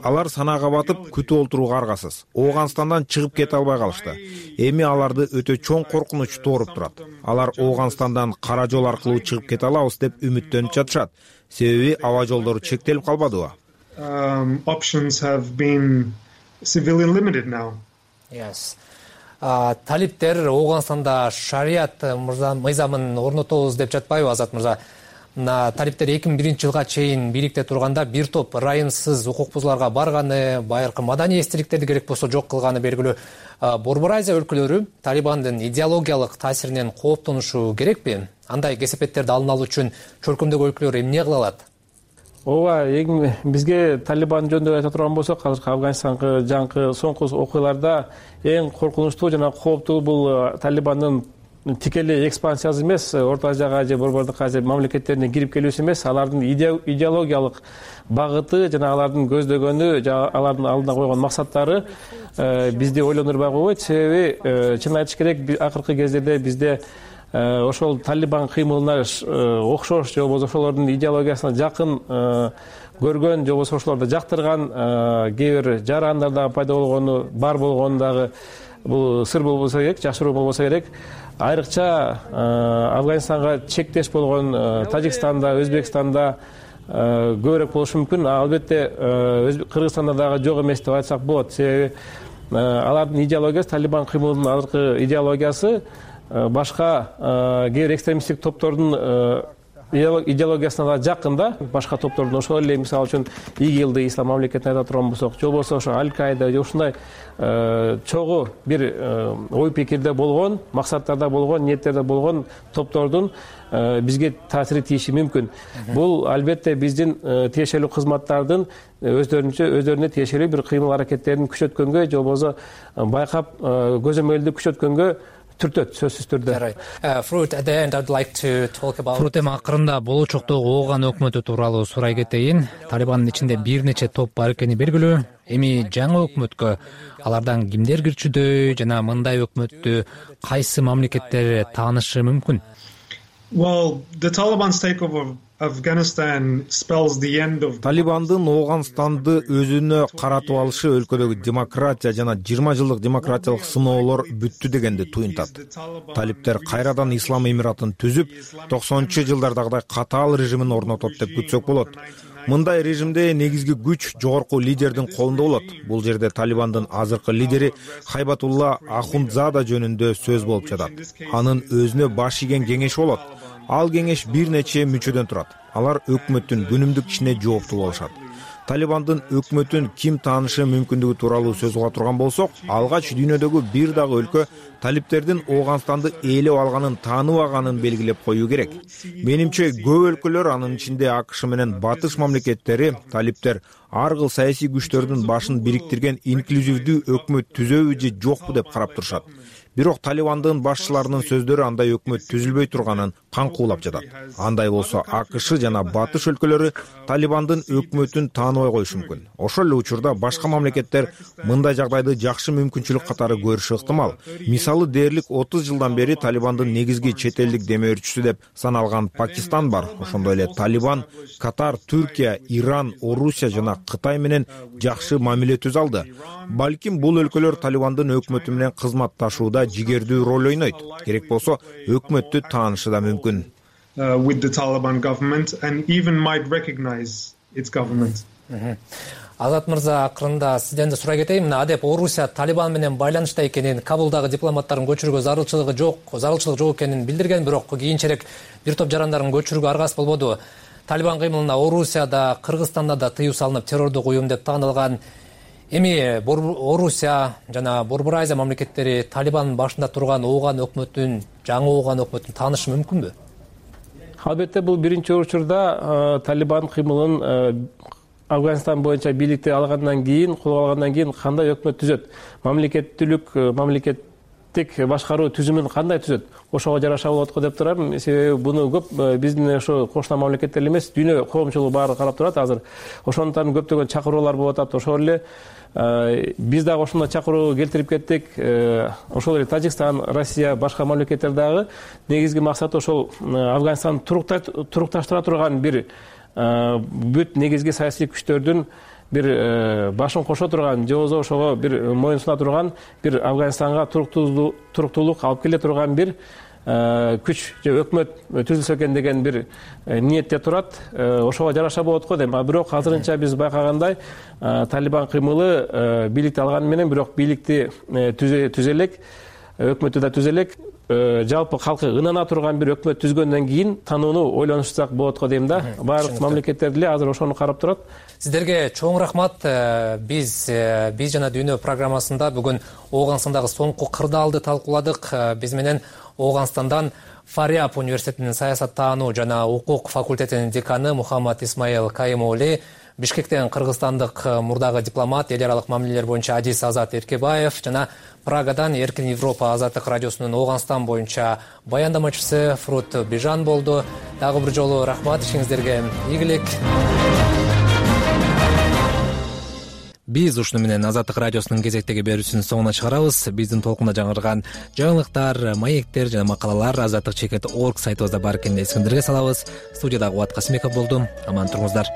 Алар санаага батып, күтүп отурууга аргасыз. Ооганстандан чыгып кете албай калышты. Эми аларды өтө чоң коркунуч тооруп турат. Алар Ооганстандан кара жол аркылуу чыгып кете алабыз деп үмүттөнүп жатышат. Себеби аба жолдору чектелип калбадыбы? Um, options have been severely limited now. Yes. Талиптер Ооганстанда шарият мыйзамын орнотобуз деп жатпайбы, Азат мырза? мына талиптер эки миң биринчи жылга чейин бийликте турганда бир топ ырайымсыз укук бузууларга барганы, байыркы маданий эстеликтерди керек болсо жок кылганы белгилүү. Борбор Азия өлкөлөрү Талибандын идеологиялык таасиринен кооптонушу керекпи? Андай кесепеттерди алдын алуу үчүн чөлкөмдөгү өлкөлөр эмне кыла алат? ооба, эң бизге Талибан жөнүндө айта турган болсок, азыркы Афганистанга жаңкы соңку окуяларда эң коркунучтуу жана кооптуу бул Талибандын тикелей экспансиясы эмес, Орто Азияга же Борбордук Азия мамлекеттерине кирип келүүсү эмес, алардын идеологиялык багыты жана алардын көздөгөнү, жана алардын алдына койгон максаттары бизди ойлондурбай койбойт. Себеби чын айтыш керек, акыркы кездерде бизде ошол Талибан кыймылына окшош же болбосо ошолордун идеологиясына жакын көргөн же болбосо ошолорду жактырган кээ бир жарандар дагы пайда болгону бар болгону дагы бул сыр болбосо керек, жашыруу болбосо керек. Айрыкча Афганистанга чектеш болгон Тажикстанда, Өзбекстанда көбүрөөк болушу мүмкүн. Албетте Кыргызстанда дагы жок эмес деп айтсак болот. Себеби алардын идеологиясы, Талибан кыймылынын азыркы идеологиясы башка кээ бир экстремисттик топтордун идеологиясына да жакын да, башка топтордун. Ошол эле мисалы үчүн ИГИЛди, ислам мамлекетин айта турган болсок, же болбосо ошо Аль-Каида же ушундай чогуу бир ой пикирде болгон, максаттарда болгон, ниеттерде болгон топтордун бизге таасири тийиши мүмкүн. Бул албетте биздин тиешелүү кызматтардын өздөрүнчө өздөрүнө тиешелүү бир кыймыл аракеттерин күчөткөнгө же болбосо байкап көзөмөлдү күчөткөнгө түртөт, сөзсүз түрдө. Фрут эми акырында болочоктогу ооган өкмөтү тууралуу сурай кетейин. Талибандын ичинде бир нече топ бар экени белгилүү. Эми жаңы өкмөткө алардан кимдер кирчүдөй жана мындай өкмөттү кайсы мамлекеттер таанышы мүмкүн? Well, the Taliban's takeover of Afghanistan spells the end of Талибандын Ооганстанды өзүнө каратып алышы өлкөдөгү демократия жана жыйырма жылдык демократиялык сыноолор бүттү дегенди туюнтат. Талиптер кайрадан Ислам Эмиратын түзүп, токсонунчу жылдардагыдай катаал режимин орнотот деп күтсөк болот. Мындай режимде негизги күч жогорку лидердин колунда болот. Бул жерде Талибандын азыркы лидери Хайбатулла Ахундзада жөнүндө сөз болуп жатат. Анын өзүнө баш ийген кеңеш болот. Ал кеңеш бир нече мүчөдөн турат. Алар өкмөттүн күнүмдүк ишине жооптуу болушат. Талибандын өкмөтүн ким таанышы мүмкүндүгү тууралуу сөз кыла турган болсок, алгач дүйнөдөгү бир дагы өлкө талиптердин Ооганстанды ээлеп алганын тааныбаганын белгилеп коюу керек. Менимче көп өлкөлөр, анын ичинде АКШ менен батыш мамлекеттери, талиптер ар кыл саясий күчтөрдүн башын бириктирген инклюзивдүү өкмөт түзөбү же жокпу деп карап турушат. Бирок Талибандын башчыларынын сөздөрү андай өкмөт түзүлбөй турганын каңкуулап жатат. Андай болсо АКШ жана батыш өлкөлөрү Талибандын өкмөтүн тааныбай коюшу мүмкүн. Ошол эле учурда башка мамлекеттер мындай жагдайды жакшы мүмкүнчүлүк катары көрүшү ыктымал. Мисалы дээрлик отуз жылдан бери Талибандын негизги чет элдик демөөрчүсү деп саналган Пакистан бар. Ошондой эле Талибан Катар, Түркия, Иран, Орусия жана Кытай менен жакшы мамиле түзө алды. Балким бул өлкөлөр Талибандын өкмөтү менен кызматташууда жигердүү роль ойнойт. Керек болсо өкмөттү таанышы да мүмкүн. With the Taliban government and even might recognize its government. Азат мырза, акырында сизден да сурай кетейин. Мына адеп Орусия Талибан менен байланышта экенин, Кабулдагы дипломаттарын көчүрүүгө зарылчылыгы жок, зарылчылык жок экенин билдирген, бирок кийинчерээк бир топ жарандарын көчүрүүгө аргасыз болбоду. Талибан кыймылына Орусияда, Кыргызстанда да тыюу салынып, террордук уюм деп таанылган. Эми Орусия жана Борбор Азия мамлекеттери Талибандын башында турган ооган өкмөтүн, жаңы ооган өкмөтүн таанышы мүмкүнбү? Албетте бул биринчи учурда Талибан кыймылын Афганистан боюнча бийликти алгандан кийин, кол алгандан кийин кандай өкмөт түзөт? Мамлекеттүүлүк, мамлекеттик башкаруу түзүмүн кандай түзөт? Ошого жараша болот го деп турам. Себеби буну көп биздин ошо кошуна мамлекеттер эмес, дүйнө коомчулугу баары карап турат азыр. Ошондуктан көптөгөн чакыруулар болуп атат. Ошол эле биз дагы ошондой чакыруу келтирип кеттик. Ошол эле Тажикстан, Россия, башка мамлекеттер дагы негизги максаты ошол Афганистанды турукташтыра турган бир бүт негизги саясий күчтөрдүн бир башын кошо турган, же болбосо ошого бир моюн суна турган, бир Афганистанга туруктуулук алып келе турган бир күч же өкмөт түзүлсө экен деген бир ниетте турат. Ошого жараша болот го дейм. Бирок азырынча биз байкагандай Талибан кыймылы бийликти алганы менен, бирок бийликти түзө элек, өкмөттү да түзө элек. жалпы калкы ынана турган бир өкмөт түзгөндөн кийин танууну ойлонушсак болот го дейм да. Баардык мамлекеттер деле азыр ошону карап турат. Сиздерге чоң рахмат. Биз биз жана дүйнө программасында бүгүн Ооганстандагы соңку кырдаалды талкууладык. Биз менен Ооганстандан Фариаб университетинин саясаттануу жана укук факультетинин деканы Мухаммад Исмаил Кайымоли, Бишкектен кыргызстандык мурдагы дипломат, эл аралык мамилелер боюнча Адис Азат Эркебаев жана Прагадан Эркин Европа азаттык радиосунун Ооганстан боюнча баяндамачысы Фрут Бижан болду. Дагы бир жолу рахмат, ишиңиздерге ийгилик. Биз ушуну менен Азаттык радиосунун кезектеги берүүсүнүн соңуна чыгарабыз. Биздин толкунда жаңырган жаңылыктар, маектер жана макалалар азаттык чекит точка орг сайтыбызда бар экенин эсиңиздерге салабыз. Студияда Кубат Касымбеков болду. Аман туруңуздар.